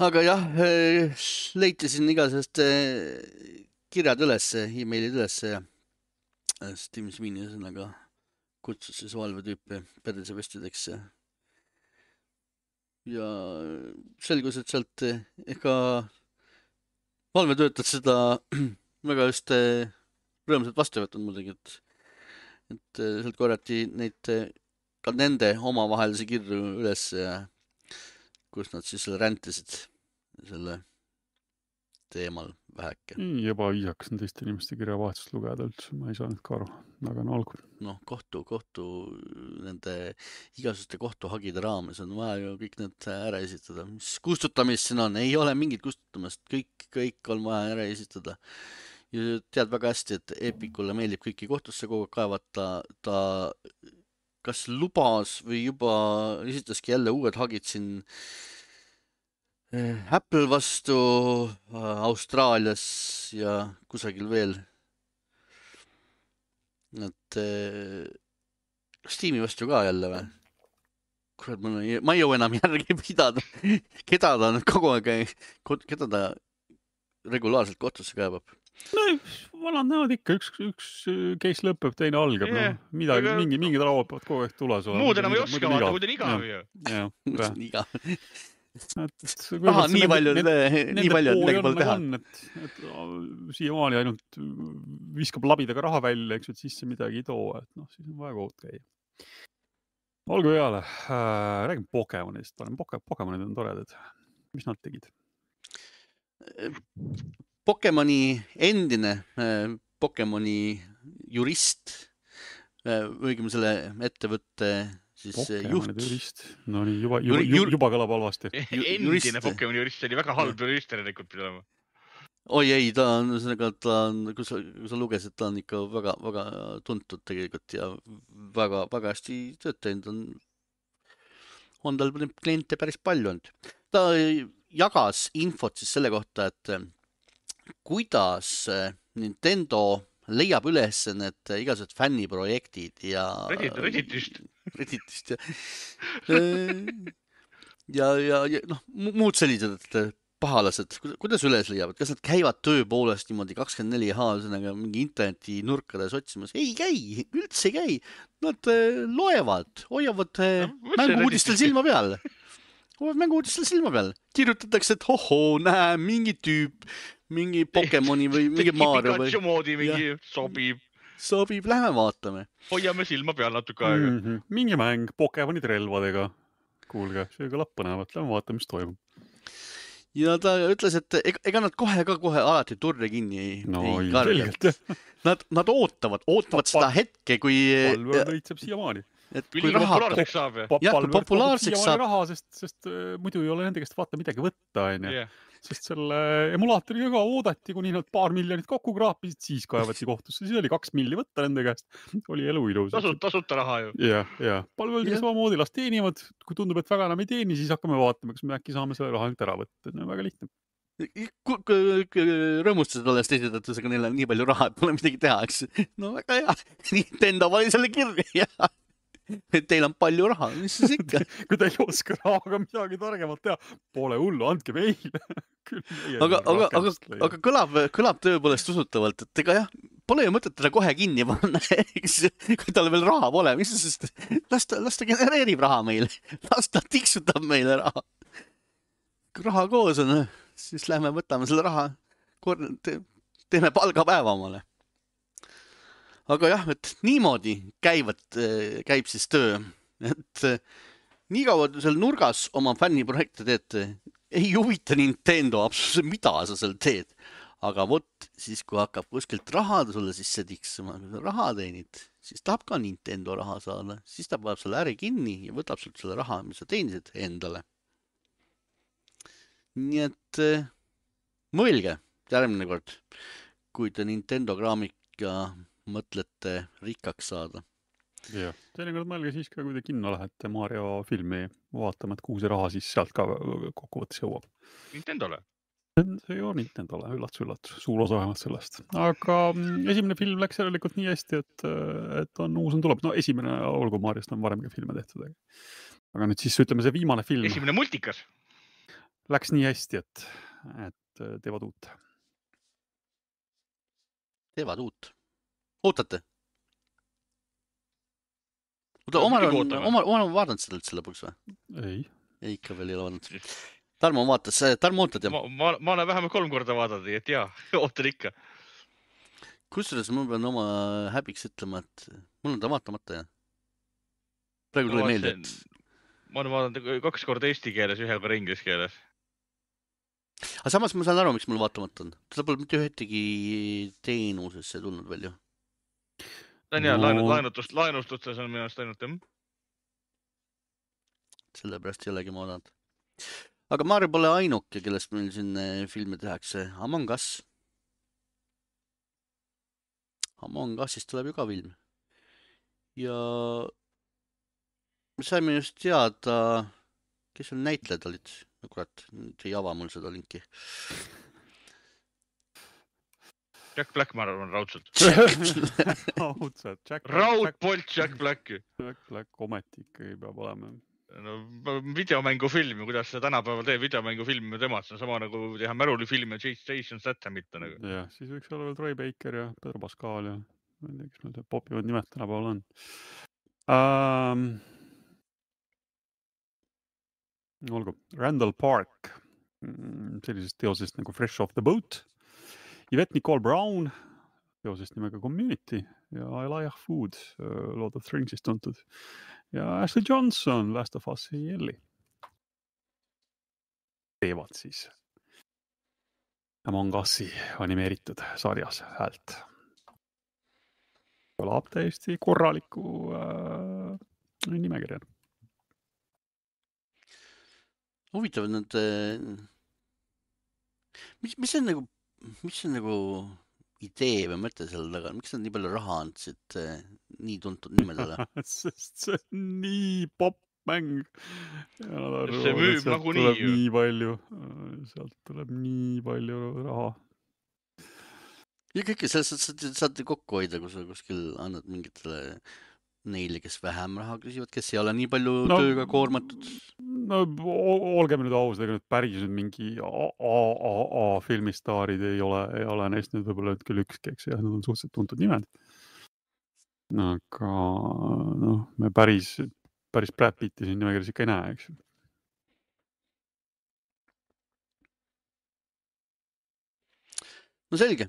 Aga jah, leiti siin igasest kirjad üles, e-mailid üles ja Steam Sweeney sõnaga kutsus siis valvetüüpi perdisevestideks ja selgus, et sealt ega valvetöötad seda väga just rõõmsalt vastu võtnud muidugi, et sealt korrati neid ka nende omavahelise kirju üles ja kus nad siis räntisid selle teemal väheke. Juba viisakas on teiste inimeste kirjavahetust lugeda üldse, ma ei saanud ka aru, aga on algur. Noh, kohtu nende igasuste kohtuhagide raames on vaja ju kõik need ära esitada. Mis kustutamist siin on? Ei ole mingit kustutamist, kõik on vaja ära esitada. Ja tead väga hästi, et Epicule meeldib kõiki kohtusse kogu kaevata, ta kas lubas või juba esitaski jälle uued hagid siin Apple vastu Austraalias ja kusagil veel. Et Steam'i vastu ka jälle või? Kurat, ma ei jõu enam järgi pidada. Keda ta nüüd kogu aeg, keda ta regulaarselt kohtusse kaebab? No, vanad näod ikka, üks case lõpeb, teine algab. Mingid rauad peavad kogu aeg tules olema. Muud enam ei oska vaata, kui ta on igav ju. Nii palju midagi pole teha. Siiamaani ainult viskab labidaga raha välja, eks, et sisse midagi ei too. Siis on vaja kohut käia. Olgu peale. Räägime Pokemonist. Pokemonid on toredad. Mis nad tegid? Pokemoni endine Pokemoni jurist, õigem selle ettevõtte siis Pokemoni juht. Jurist. No nii, juba kõlab halvasti. Endine Pokemoni jurist oli väga halb jurist tegelikult pidama. Oi ei, ta on, kui sa lugesid, ta on ikka väga, väga tuntud tegelikult ja väga, väga hästi töötanud. On tal kliente päris palju olnud. Ta jagas infot siis selle kohta, et kuidas Nintendo leiab üles need igasugused fänniprojektid ja Redditist ja muud sellised pahalased, kuidas üles leiavad, kas nad käivad tööpoolest niimoodi 24H mingi interneti nurkades otsimas? Ei käi, üldse ei käi. Nad loevad, hoiavad mängu-uudistel silma peal. Kirjutatakse, et näe, mingi tüüp, mingi Pokemoni või mingi Mario või... Pikachu moodi mingi sobib, lähme vaatame. Hoiame silma peal natuke aega. Mingi mäng Pokemonid relvadega. Kuulge, see kõlab põnevat, lähme vaatame, mis toimub. Ja ta ütles, et ega nad kohe alati turre kinni ei karga. Nad ootavad seda hetke, kui... Palve võitseb siiamaani. Kui populaarseks saab. Kui populaarseks saab. Raha, sest muidu ei ole nende käest vaata midagi võtta. Sest selle emulaatoriga ka oodati, kuni nad paar miljonit kokku kraapisid, siis kaevati kohtusse. Siis oli 2 milli võtta nende käest. Oli elu ilus. Tasuta raha ju. Ja. Palveldega samamoodi las teenivad. Kui tundub, et väga enam ei teeni, siis hakkame vaatama, kas me äkki saame selle raha ära võtta. Väga lihtne. Rõõmustused alles teised, et neil on nii palju raha, et pole midagi teha. No väga hea. Nintendo pani selle kirja. Et teil on palju raha, mis siis ikka? Kui teil ei oska rahaga midagi targemalt teha, pole hullu, andke meile. Aga kõlab tõepoolest usutavalt, et ega jah, pole ju mõtet teda kohe kinni panna, kui tal veel raha pole. Las ta genereerib raha meile, las ta tiksutab meile raha. Kui raha koos on, siis lähme võtame selle raha, teeme palgapäeva omale. Aga jah, et niimoodi käib siis töö, et nii kaua seal nurgas oma fänniprojekte teete, ei huvita Nintendo absoluutselt, mida sa seal teed. Aga vot siis, kui hakkab kuskilt raha sulle sisse tiksuma, kui sa raha teenid, siis tahab ka Nintendo raha saada, siis ta paneb selle äri kinni ja võtab sult selle raha, mis sa teenisid endale. Nii et mõelge järgmine kord, kui te Nintendo kraamika mõtlete rikkaks saada. Jah, teinekord mõelge siis ka, kui te kinno lähete Mario filmi vaatama, et kuhu see raha siis sealt ka kokkuvõttes jõuab. Nintendole. See ju Nintendole, üllatus, suur osa vähemalt sellest. Aga esimene film läks järelikult nii hästi, et uus on tuleb. No esimene olgu Mariost on varemgi filme tehtud. Aga nüüd siis ütleme see viimane film. Esimene multikas. Läks nii hästi, et teevad uut. Teevad uut. Ootate? Omar on vaadanud seda üldse lõpuks või? Ei. Ikka veel ei ole vaadanud. Tarmo vaatas, Tarmo ootad jah? Ma olen vähemalt 3 korda vaadanud, et jaa, ootan ikka. Kusjuures ma pean oma häbiks ütlema, et mul on ta vaatamata jah. Praegu tuli meelde, et... Ma olen vaadanud 2 korda eesti keeles, 1 korda inglise keeles. Aga samas ma saan aru, miks mul vaatamata on. Teda pole mitte ühtegi teenusesse tulnud veel ju. Ta on jah, laenustustes on minu arust ainult jah. Sellepärast ei olegi ma oodanud. Aga Mario pole ainuke, kellest meil siin filme tehakse. Among Us. Among Usist tuleb ju ka film. Ja me saime just teada, kes on näitlejad olid. No kurat, nüüd ei ava mul seda linki. Jack Black, ma arvan, raudselt. Raudselt. Raudpolt Jack Black. Jack Black ometi ikkagi peab olema. No, videomängufilm, kuidas see tänapäeval teeb videomängufilm temast, see on sama nagu teha märulifilm ja Jason Stathamit. Nagu. Jah, siis võiks olla veel Troy Baker ja Pedro Pascal ja ma ei tea, kes meil popivad nimed tänapäeval on. Olgu, Randall Park, sellisest teosest nagu Fresh Off the Boat. Yvette Nicole Brown, teosest nimega Community ja Elijah Wood, Lord of the Ringsist tuntud. Ja Ashley Johnson, Last of Us Ellie. Teevad siis Among Us'i animeeritud sarjas häält. Kõlab täiesti korraliku nimekirja. Huvitav, nad... Mis on nagu idee või mõte selle taga? Miks nad nii palju raha andsid nii tuntud nimedele? Sest see on nii popp-mäng. See müüb nagunii ju. Nii palju, sealt tuleb nii palju raha. Ja kõike sellest saate kokku hoida, kui sa kuskil annad mingitele neile, kes vähem raha küsivad, kes ei ole nii palju tööga koormatud. No olgem nüüd aus, ega nüüd päris mingi AAA filmistaarid ei ole neist nüüd võib-olla küll ükski, eks jah, need on suhteliselt tuntud nimed. Aga me päris Brad Pitti siin nimekirjas ikka ei näe, eks. No selge.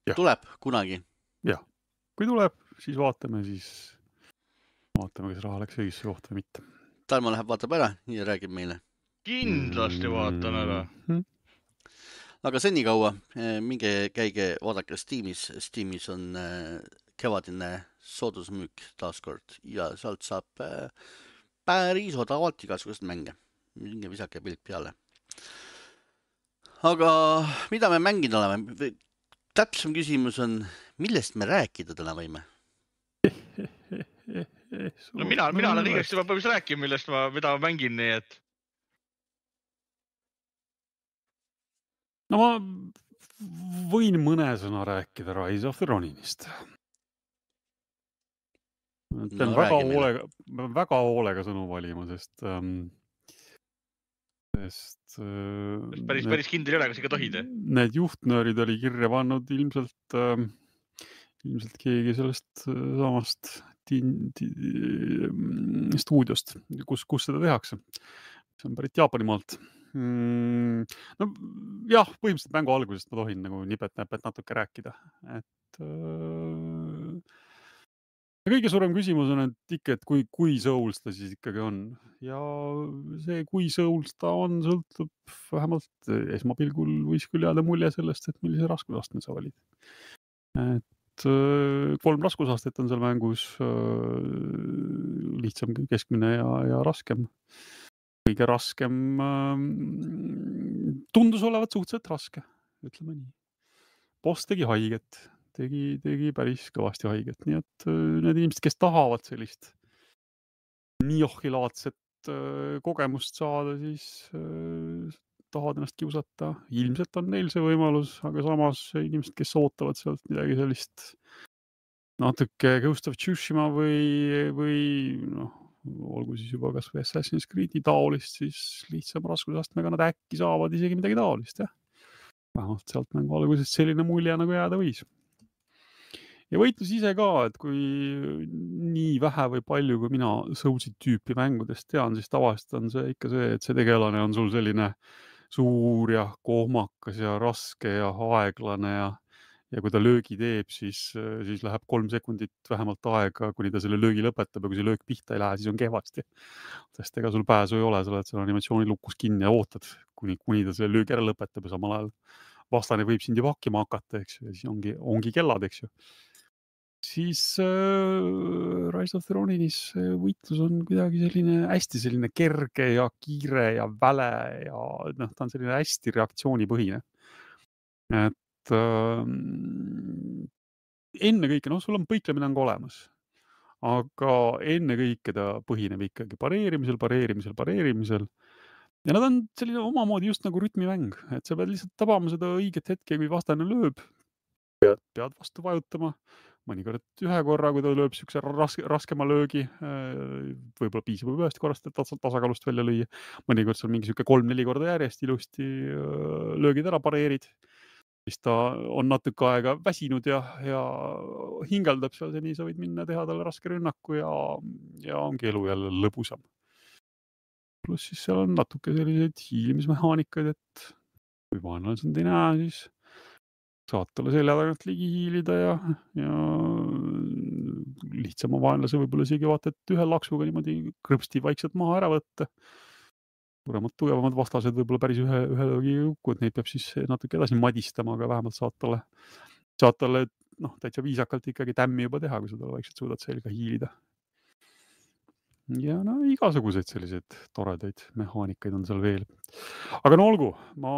Ja. Tuleb kunagi. Jah, kui tuleb, siis vaatame, kas raha läks õigesse kohta või mitte. Tarmo läheb, vaatab ära ja räägib meile. Kindlasti vaatan ära. Aga senikaua, minge käige vaadake Steamis. Steamis on kevadine soodusmüük taaskord ja sealt saab päris odavalt igasugust mänge. Minge visake pilk peale. Aga mida me mängida oleme? Täpsem küsimus on, millest me rääkida täna võime? No mina olen igast juba põhjus rääkima, mida ma mängin, nii et... No ma võin mõne sõna rääkida Rise of the Roninist. Pean väga hoolega sõnu valima, sest päris kindel ei ole, kas ikka tohid? Need juhtnöörid oli kirja pannud ilmselt keegi sellest samast stuudiost, kus seda tehakse. See on pärit Jaapanimaalt. No jah, põhimõtteliselt mängu algusest ma tohin nagu nipet-näpet natuke rääkida. Et kõige suurem küsimus on, et ikka, et kui Souls ta siis ikkagi on. Ja see, kui Souls ta on, sõltub vähemalt esmapilgul võis küll jääda mulje sellest, et millise raskusastme sa valid. Et 3 raskusastet on seal mängus, lihtsam, keskmine ja raskem. Kõige raskem tundus olevat suhteliselt raske, ütleme nii. Boss tegi haiget, tegi päris kõvasti haiget, nii et need inimesed, kes tahavad sellist niohhilaadset kogemust saada, siis tahavad ennast kiusata. Ilmselt on neil see võimalus, aga samas inimesed, kes ootavad sealt midagi sellist natuke Ghost of Tsushima või noh, olgu siis juba kas või Assassin's Creed'i taolist, siis lihtsam raskusastmega nad äkki saavad isegi midagi taolist, jah. Vähemalt sealt mängu algusest selline mulje nagu jääda võis. Ja võitlus ise ka, et kui nii vähe või palju, kui mina Soulsi tüüpi mängudest tean, siis tavaliselt on see ikka see, et see tegelane on sul selline suur ja kohmakas ja raske ja aeglane ja kui ta löögi teeb, siis läheb 3 sekundit vähemalt aega, kuni ta selle löögi lõpetab ja kui see löök pihta ei lähe, siis on kehvasti. Sest ega sul pääsu ei ole, sa oled selle animatsiooni lukus kinni ja ootad, kuni ta selle löögi ära lõpetab ja samal ajal vastane võib sind juba hakkima hakata, eks ju, ja siis ongi kellad, eks ju. Siis Rise of the Ronin'is võitlus on kuidagi hästi selline kerge ja kiire ja väle ja ta on selline hästi reaktsioonipõhine. Et ennekõike, sul on põiklemine on ka olemas, aga ennekõike ta põhineb ikkagi pareerimisel. Ja nad on selline omamoodi just nagu rütmimäng, et sa pead lihtsalt tabama seda õiget hetke, kui vastane lööb, pead vastu vajutama. Mõnikord ühe korra, kui ta lööb siukse raskema löögi, võib-olla piisab ühest korrast, et tasakaalust välja lüüa. Mõnikord seal mingi siuke 3-4 korda järjest ilusti löögid ära pareerid. Siis ta on natuke aega väsinud ja hingeldab seal, nii sa võid minna teha talle raske rünnaku ja ongi elu jälle lõbusam. Pluss siis seal on natuke selliseid hiilimismehaanikaid, et kui vaenlane sind ei näe, siis saad talle selja tagant ligi hiilida ja lihtsama vaenlase võib-olla isegi vaata, et ühe laksuga niimoodi krõpsti vaikselt maha ära võtta. Suuremad, tugevamad vastased võib-olla päris ühe löögi jukku, et neid peab siis natuke edasi madistama, aga vähemalt saad talle täitsa viisakalt ikkagi tämmi juba teha, kui sa talle vaikselt suudad selga hiilida. Ja igasuguseid selliseid toredaid mehaanikaid on seal veel. Aga olgu, ma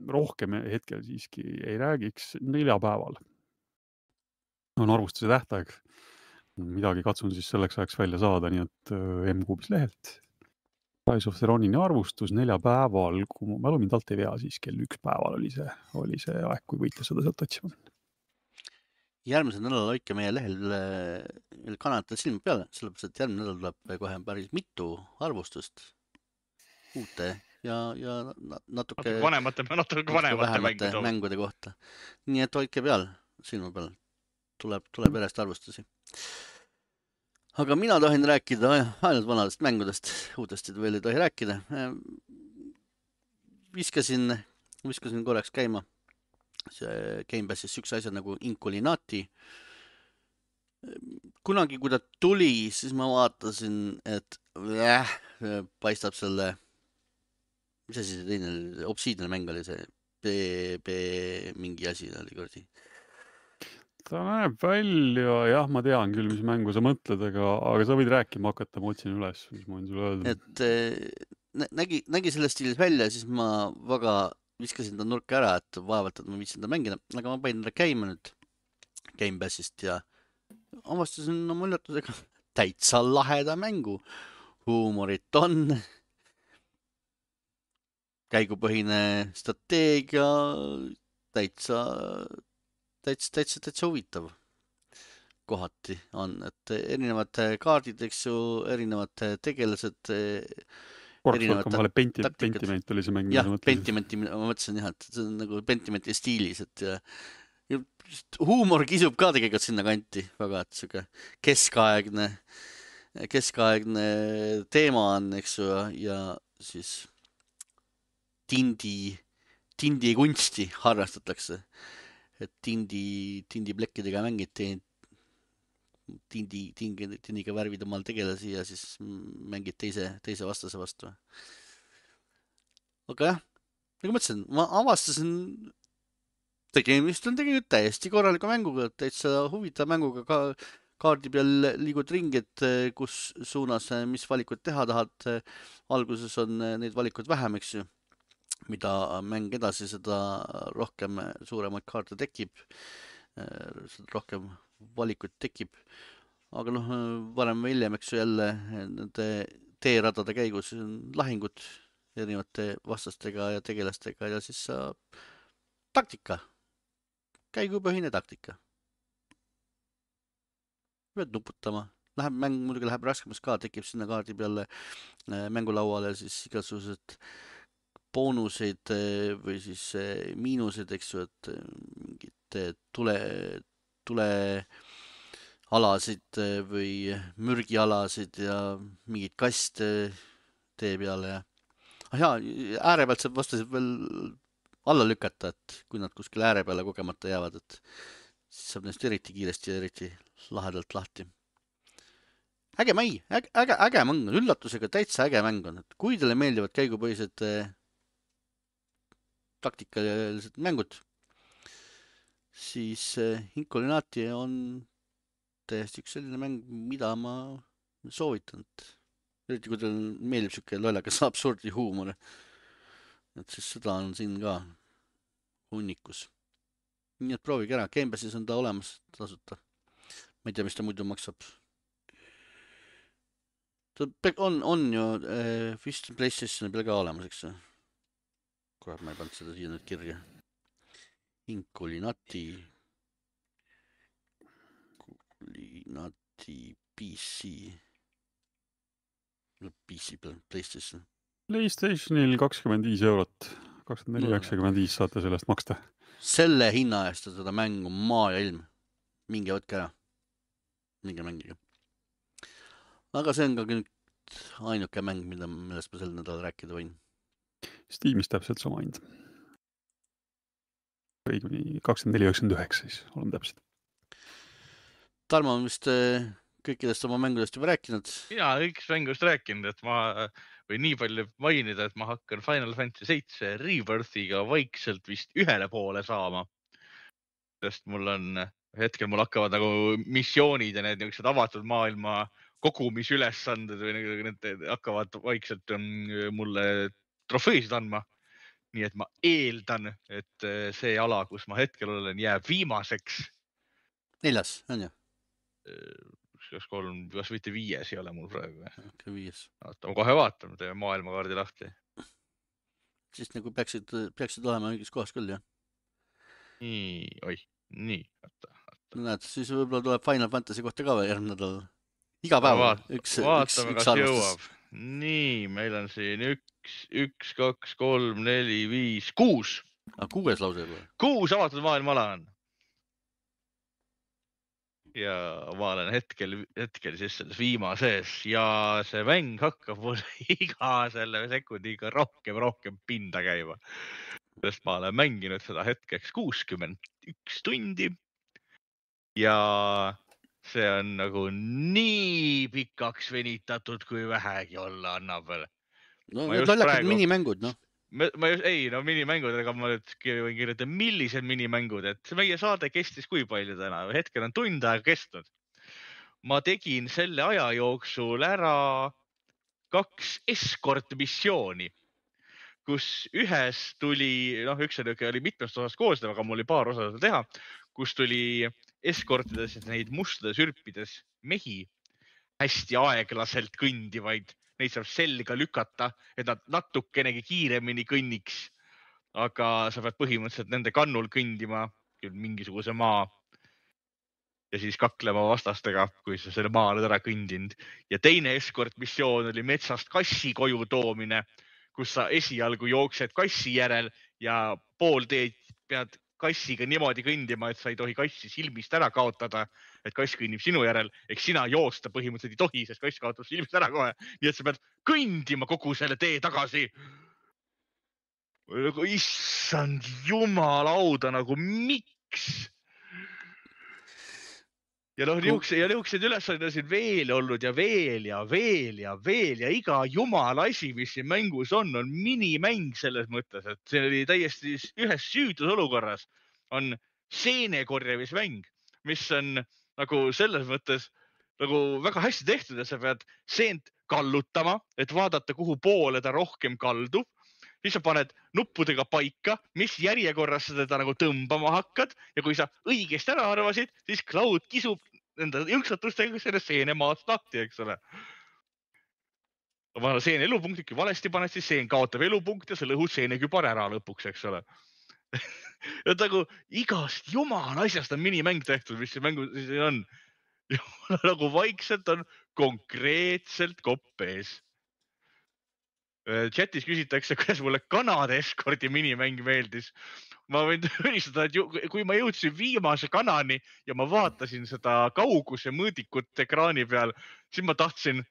rohkem hetkel siiski ei räägiks. 4 päeval on arvustuse tähtaeg. Midagi katsun siis selleks ajaks välja saada, nii et M-Kuubis lehelt. Rise of the Ronin'i arvustus 4 päeval, kui ma mälu mind alt ei vea, siis kell 1 päeval oli see aeg, kui võitles seda sealt otsima. Järgmisel nädalal hoidke meie lehel kanalite silma peale, sellepärast, et järgmine nädal tuleb kohe päris mitu arvustust uute ja natuke vanemate mängude kohta. Nii et hoidke silma peal. Tuleb järjest arvustusi. Aga mina tahin rääkida ainult vanadest mängudest, uutest veel ei tohi rääkida. Viskasin korraks käima see Game Passis üks asja nagu Inculinati. Kunagi, kui ta tuli, siis ma vaatasin, et paistab selle, mis asi see teine, Obsidian mäng oli see, mingi asi oli kordi. Ta näeb välja, jah, ma tean küll, mis mängu sa mõtled, aga sa võid rääkima hakata, ma otsin üles, mis ma võin sulle öelda. Et nägi selles stiilis välja, siis ma väga viskasin ta nurka ära, et vaevalt, et ma viitsin ta mängida, aga ma panin ta käima nüüd Game Passist ja avastasin oma üllatusega täitsa laheda mängu. Huumorit on, käigupõhine strateegia, täitsa huvitav kohati on, et erinevad kaardid, eks ju, erinevad tegelased, Pentiment oli see mäng. Jah, Pentimenti ma mõtlesin jah, et see on nagu Pentimenti stiilis, et ja huumor kisub ka tegelikult sinna kanti väga, et siuke keskaegne teema on, eks ju, ja siis tindi kunsti harrastatakse, et tindi plekkidega mängiti, tindiga värvid omal tegelasi ja siis mängid teise vastase vastu. Aga jah, nagu ma ütlesin, ma avastasin tegemist on tegelikult täiesti korraliku mänguga, täitsa huvitav mänguga ka kaardi peal liigud ringi, et kus suunas, mis valikud teha tahad. Alguses on neid valikud vähem, eks ju. Mida mäng edasi, seda rohkem suuremaid kaarte tekib, rohkem valikuid tekib. Aga noh, varem või hiljem, eks ju jälle nende teeradade käigus on lahingud erinevate vastastega ja tegelastega ja siis taktika. Käigupõhine taktika. Pead nuputama. Mäng muidugi läheb raskemaks ka, tekib sinna kaardi peale mängulauale siis igasugused boonuseid või siis miinused, eks ju, et mingid tulealasid või mürgialasid ja mingid kaste tee peale ja jaa, ääre pealt saab vastasid veel alla lükata, et kui nad kuskil ääre peale kogemata jäävad, et siis saab neist eriti kiiresti ja eriti lahedalt lahti. Äge mäng on, üllatusega täitsa äge mäng on, et kui teile meeldivad käigupõhised taktikalised mängud, siis Incolinati on täiesti üks selline mäng, mida ma soovitan, eriti kui teil meeldib siuke lollakas absurdi huumor. Et siis seda on siin ka hunnikus. Nii et proovige ära, Gamepassis on ta olemas tasuta. Ma ei tea, mis ta muidu maksab. Ta on ju vist PlayStationi peal ka olemas, eks see. Kohe ma ei pannud seda siia nüüd kirja. Incolinati PC. PC peal, PlayStation. PlayStationil 25 €, 24,95 saate sellest maksta. Selle hinna eest seda mängu maa ja ilm. Minge võtke ära. Minge mängige. Aga see on ka nüüd ainuke mäng, millest ma sel nädal rääkida võin. Steamis täpselt sama hind. Õiguni 24,99 siis, olen täpselt. Tarmo on vist kõikidest oma mängudest juba rääkinud. Mina kõikidest mängudest rääkinud, et ma võin nii palju mainida, et ma hakkan Final Fantasy 7 Rebirthiga vaikselt vist ühele poole saama. Sest hetkel mul hakkavad nagu missioonid ja need niisugused avatud maailma kogumisülesanded või need hakkavad vaikselt mulle trofeesid andma. Nii et ma eeldan, et see ala, kus ma hetkel olen, jääb viimaseks. 4, on ju? Kas mitte 5 ei ole mul praegu. Okay, 5. Oota, ma kohe vaatan, teeme maailmakaardi lahti. Siis nagu peaksid olema mingis kohas küll, jah? Nii, oota. Näed, siis võib-olla tuleb Final Fantasy kohta ka veel järgmine nädal. Iga päev vaatame, kas jõuab. Nii, meil on siin 1, 2, 3, 4, 5, 6. 6 lause juba. 6 avatud maailmaala on. Ja ma olen hetkel siis selles viimases ja see mäng hakkab mul iga selle sekundiga rohkem pinda käima. Sest ma olen mänginud seda hetkeks 61 tundi ja see on nagu nii pikaks venitatud, kui vähegi olla annab veel. No need lollakad minimängud, noh. Minimängud, aga ma nüüd võin kirjutada, millised minimängud, et meie saade kestis kui palju täna, hetkel on tund aega kestnud. Ma tegin selle aja jooksul ära 2 escort missiooni, kus ühes tuli, üks oli mitmest osast koosnev, aga mul oli paar osa teha, kus tuli eskortides neid mustades ürpides mehi hästi aeglaselt kõndivaid. Neid saab selga lükata, et nad natukenegi kiiremini kõnniks. Aga sa pead põhimõtteliselt nende kannul kõndima mingisuguse maa ja siis kaklema vastastega, kui sa selle maa oled ära kõndinud. Ja teine escort missioon oli metsast kassi koju toomine, kus sa esialgu jooksed kassi järel ja pool teed pead kassiga niimoodi kõndima, et sa ei tohi kassi silmist ära kaotada, et kass kõnnib sinu järel, eks sina joosta põhimõtteliselt ei tohi, sest kass kaotab silmist ära kohe. Nii et sa pead kõndima kogu selle tee tagasi. Issand jumalauda, nagu miks? Ja niisugused ülesanded on siin veel olnud ja veel ja iga jumala asi, mis siin mängus on minimäng selles mõttes, et see oli täiesti ühes süüdusolukorras. on seenekorjamismäng, mis on nagu selles mõttes nagu väga hästi tehtud ja sa pead seent kallutama, et vaadata, kuhu poole ta rohkem kaldub. Siis sa paned nuppudega paika, mis järjekorras sa teda nagu tõmbama hakkad ja kui sa õigesti ära arvasid, siis Cloud kisub enda jõnksatustega selle seene maast lahti, eks ole. Vana seene elupunktid, kui valesti paned, siis seen kaotab elupunkt ja sa lõhud seenekübar ära lõpuks, eks ole. Ja nagu igast jumala asjast on minimäng tehtud, mis see mängu siis on. Ja nagu vaikselt on konkreetselt kopp ees. Chatis küsitakse, kuidas mulle kanade eskordi minimäng meeldis. Ma võin tunnistada, et kui ma jõudsin viimase kanani ja ma vaatasin seda kauguse mõõdikut ekraani peal, siis ma tahtsin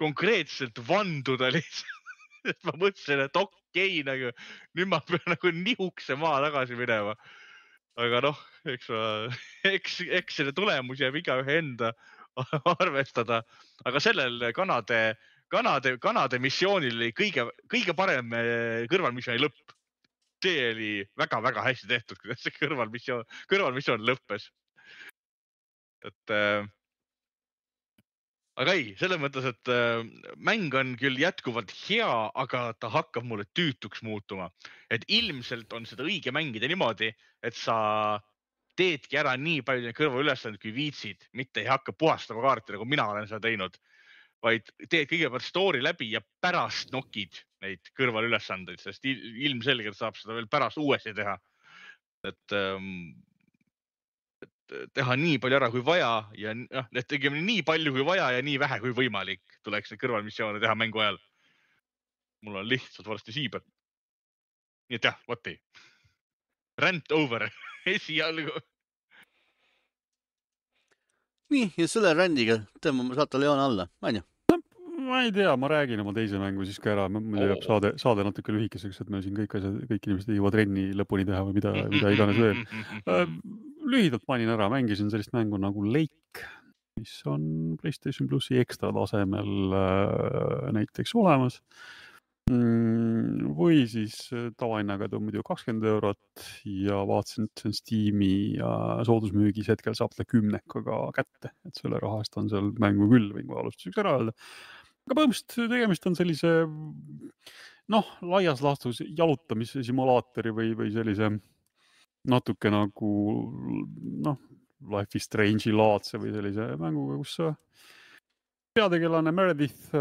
konkreetselt vanduda lihtsalt. Ma mõtlesin, et okei, nagu, nüüd ma pean nagu nihukse maa tagasi minema. Aga noh, eks selle tulemus jääb igaühe enda arvestada. Aga sellel Kanade missioonil oli kõige parem kõrvalmissiooni lõpp. See oli väga-väga hästi tehtud, kuidas see kõrvalmissioon lõppes. Aga ei, selles mõttes, et mäng on küll jätkuvalt hea, aga ta hakkab mulle tüütuks muutuma. Et ilmselt on seda õige mängida niimoodi, et sa teedki ära nii palju kõrvaülesanded, kui viitsid, mitte ei hakka puhastama kaarti, nagu mina olen seda teinud, vaid teed kõigepealt story läbi ja pärast nokid neid kõrvalülesandeid, sest ilmselgelt saab seda veel pärast uuesti teha. Et teha nii palju ära kui vaja ja tegema nii palju kui vaja ja nii vähe kui võimalik tuleks neid kõrvalmissioone teha mängu ajal. Mul on lihtsalt varsti siiber. Nii et jah, võtti. Rant over esialgu. Nii, ja selle randiga tõmbame saate Leona alla, on ju? Ma ei tea, ma räägin oma teise mängu siis ka ära. Mul jääb saade natuke lühikeseks, et me siin kõik inimesed ei jõua trenni lõpuni teha või mida iganes veel. Lühidalt mainin ära, mängisin sellist mängu nagu Lake, mis on PlayStation Plusi ekstra tasemel näiteks olemas. Või siis tavahinnaga muidu 20 eurot ja vaatasin, et see on Steam'i ja soodusmüügis hetkel saab ta 10-ga kätte, et selle rahast on seal mängu küll, võin ka alustuseks ära öelda. Aga põhimõtteliselt tegemist on sellise laias laastus jalutamise simulaatori või sellise natuke nagu Life is Strange'i laadse või sellise mänguga, kus peategelane Meredith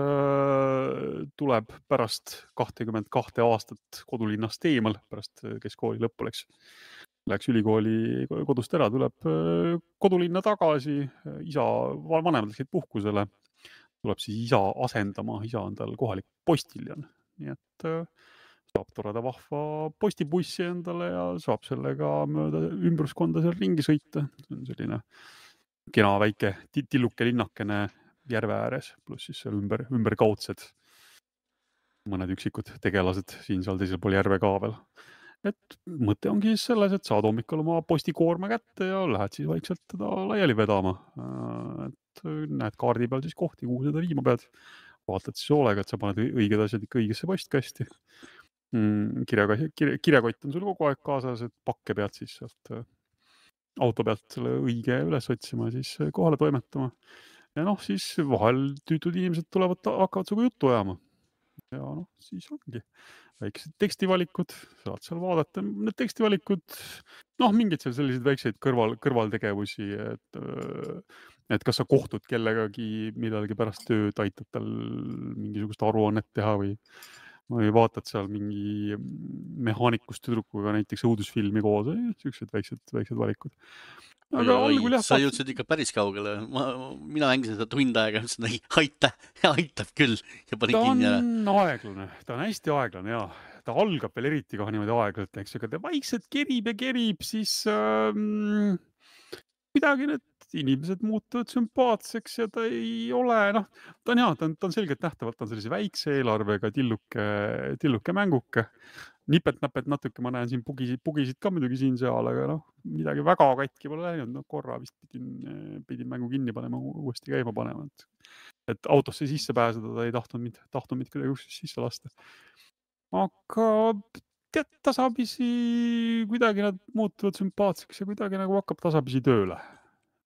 tuleb pärast 22 aastat kodulinnast eemal, pärast keskkooli lõppu läks ülikooli kodust ära, tuleb kodulinna tagasi, vanemad läksid puhkusele, tuleb siis isa asendama, isa on tal kohalik postiljon, nii et saab toreda vahva postibussi endale ja saab sellega mööda ümbruskonda seal ringi sõita. See on selline kena väike tilluke linnakene järve ääres, pluss siis seal ümber kaudsed mõned üksikud tegelased siin seal teisel pool järve ka veel. Et mõte ongi siis selles, et saad hommikul oma postikoorma kätte ja lähed siis vaikselt teda laiali vedama. Et näed kaardi peal siis kohti, kuhu seda viima pead. Vaatad siis hoolega, et sa paned õiged asjad ikka õigesse postkasti. Kirjakott on sul kogu aeg kaasas, et pakke pead siis sealt auto pealt selle õige üles otsima ja siis kohale toimetama. Ja siis vahel tüütud inimesed hakkavad suga juttu ajama. Ja siis ongi väiksed tekstivalikud, saad seal vaadata. Need tekstivalikud, mingid seal sellised väikseid kõrvaltegevusi, et kas sa kohtud kellegagi millalgi pärast tööd, aitad tal mingisugust aruannet teha või vaatad seal mingi mehaanikust tüdrukuga näiteks õudusfilmi koos, sellised väiksed valikud. Aga algul sa jõudsid ikka päris kaugele. Mina mängisin seda tund aega, aitab küll ja panin kinni ära. Ta on hästi aeglane, jaa. Ta algab veel eriti kohe niimoodi aeglalt, eks, aga ta vaikselt kerib, siis midagi need inimesed muutuvad sümpaatseks ja ta ei ole, ta on selgelt nähtavalt, ta on sellise väikse eelarvega tilluke mänguke. Nipet-näpet natuke, ma näen siin pugisid ka muidugi siin-seal, aga midagi väga katki pole läinud. Korra vist pidin mängu kinni panema, uuesti käima panema. Et autosse sisse pääseda, ta ei tahtnud mind kuidagi sisse lasta. Aga tead, tasapisi kuidagi nad muutuvad sümpaatseks ja kuidagi nagu hakkab tasapisi tööle.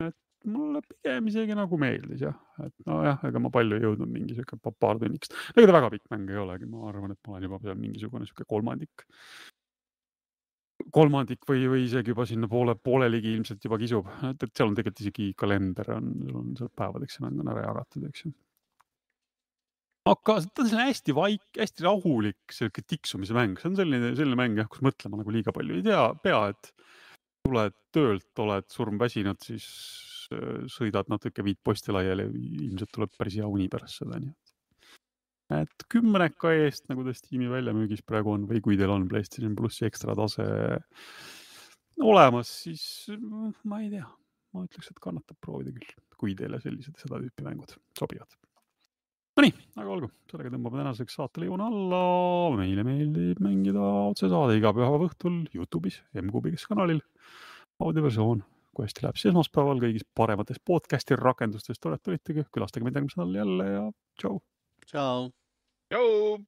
Et mulle pigem isegi nagu meeldis jah, et nojah, ega ma palju ei jõudnud mingi siuke paar tunniks. Ega ta väga pikk mäng ei olegi, ma arvan, et ma olen juba seal mingisugune siuke kolmandik või isegi juba sinna pooleligi ilmselt juba kisub, et seal on tegelikult isegi kalender sul on seal päevadeks see mäng on ära jagatud, eks ju. Aga ta on hästi hästi rahulik selline tiksumise mäng, see on selline mäng jah, kus mõtlema nagu liiga palju ei pea, et tuled töölt, oled surmväsinud, siis sõidad natuke viid posti laiali, ilmselt tuleb päris hea uni pärast seda, nii et 10 eest, nagu ta Steam'i väljamüügis praegu on, või kui teil on PlayStation Plussi ekstra tase olemas, siis ma ei tea, ma ütleks, et kannatab proovida küll, kui teile seda tüüpi mängud sobivad. No nii, aga olgu, sellega tõmbame tänaseks saatele joone alla, meile meeldib mängida otsesaade iga pühapäeva õhtul YouTube'is, MQB'is kanalil, audioversioon, kui hästi läheb siis esmaspäeval kõigis paremates podcasti rakendustes, tulitegi, külastage meid järgmisel nädalal jälle ja tšau! Ciao! Tšau!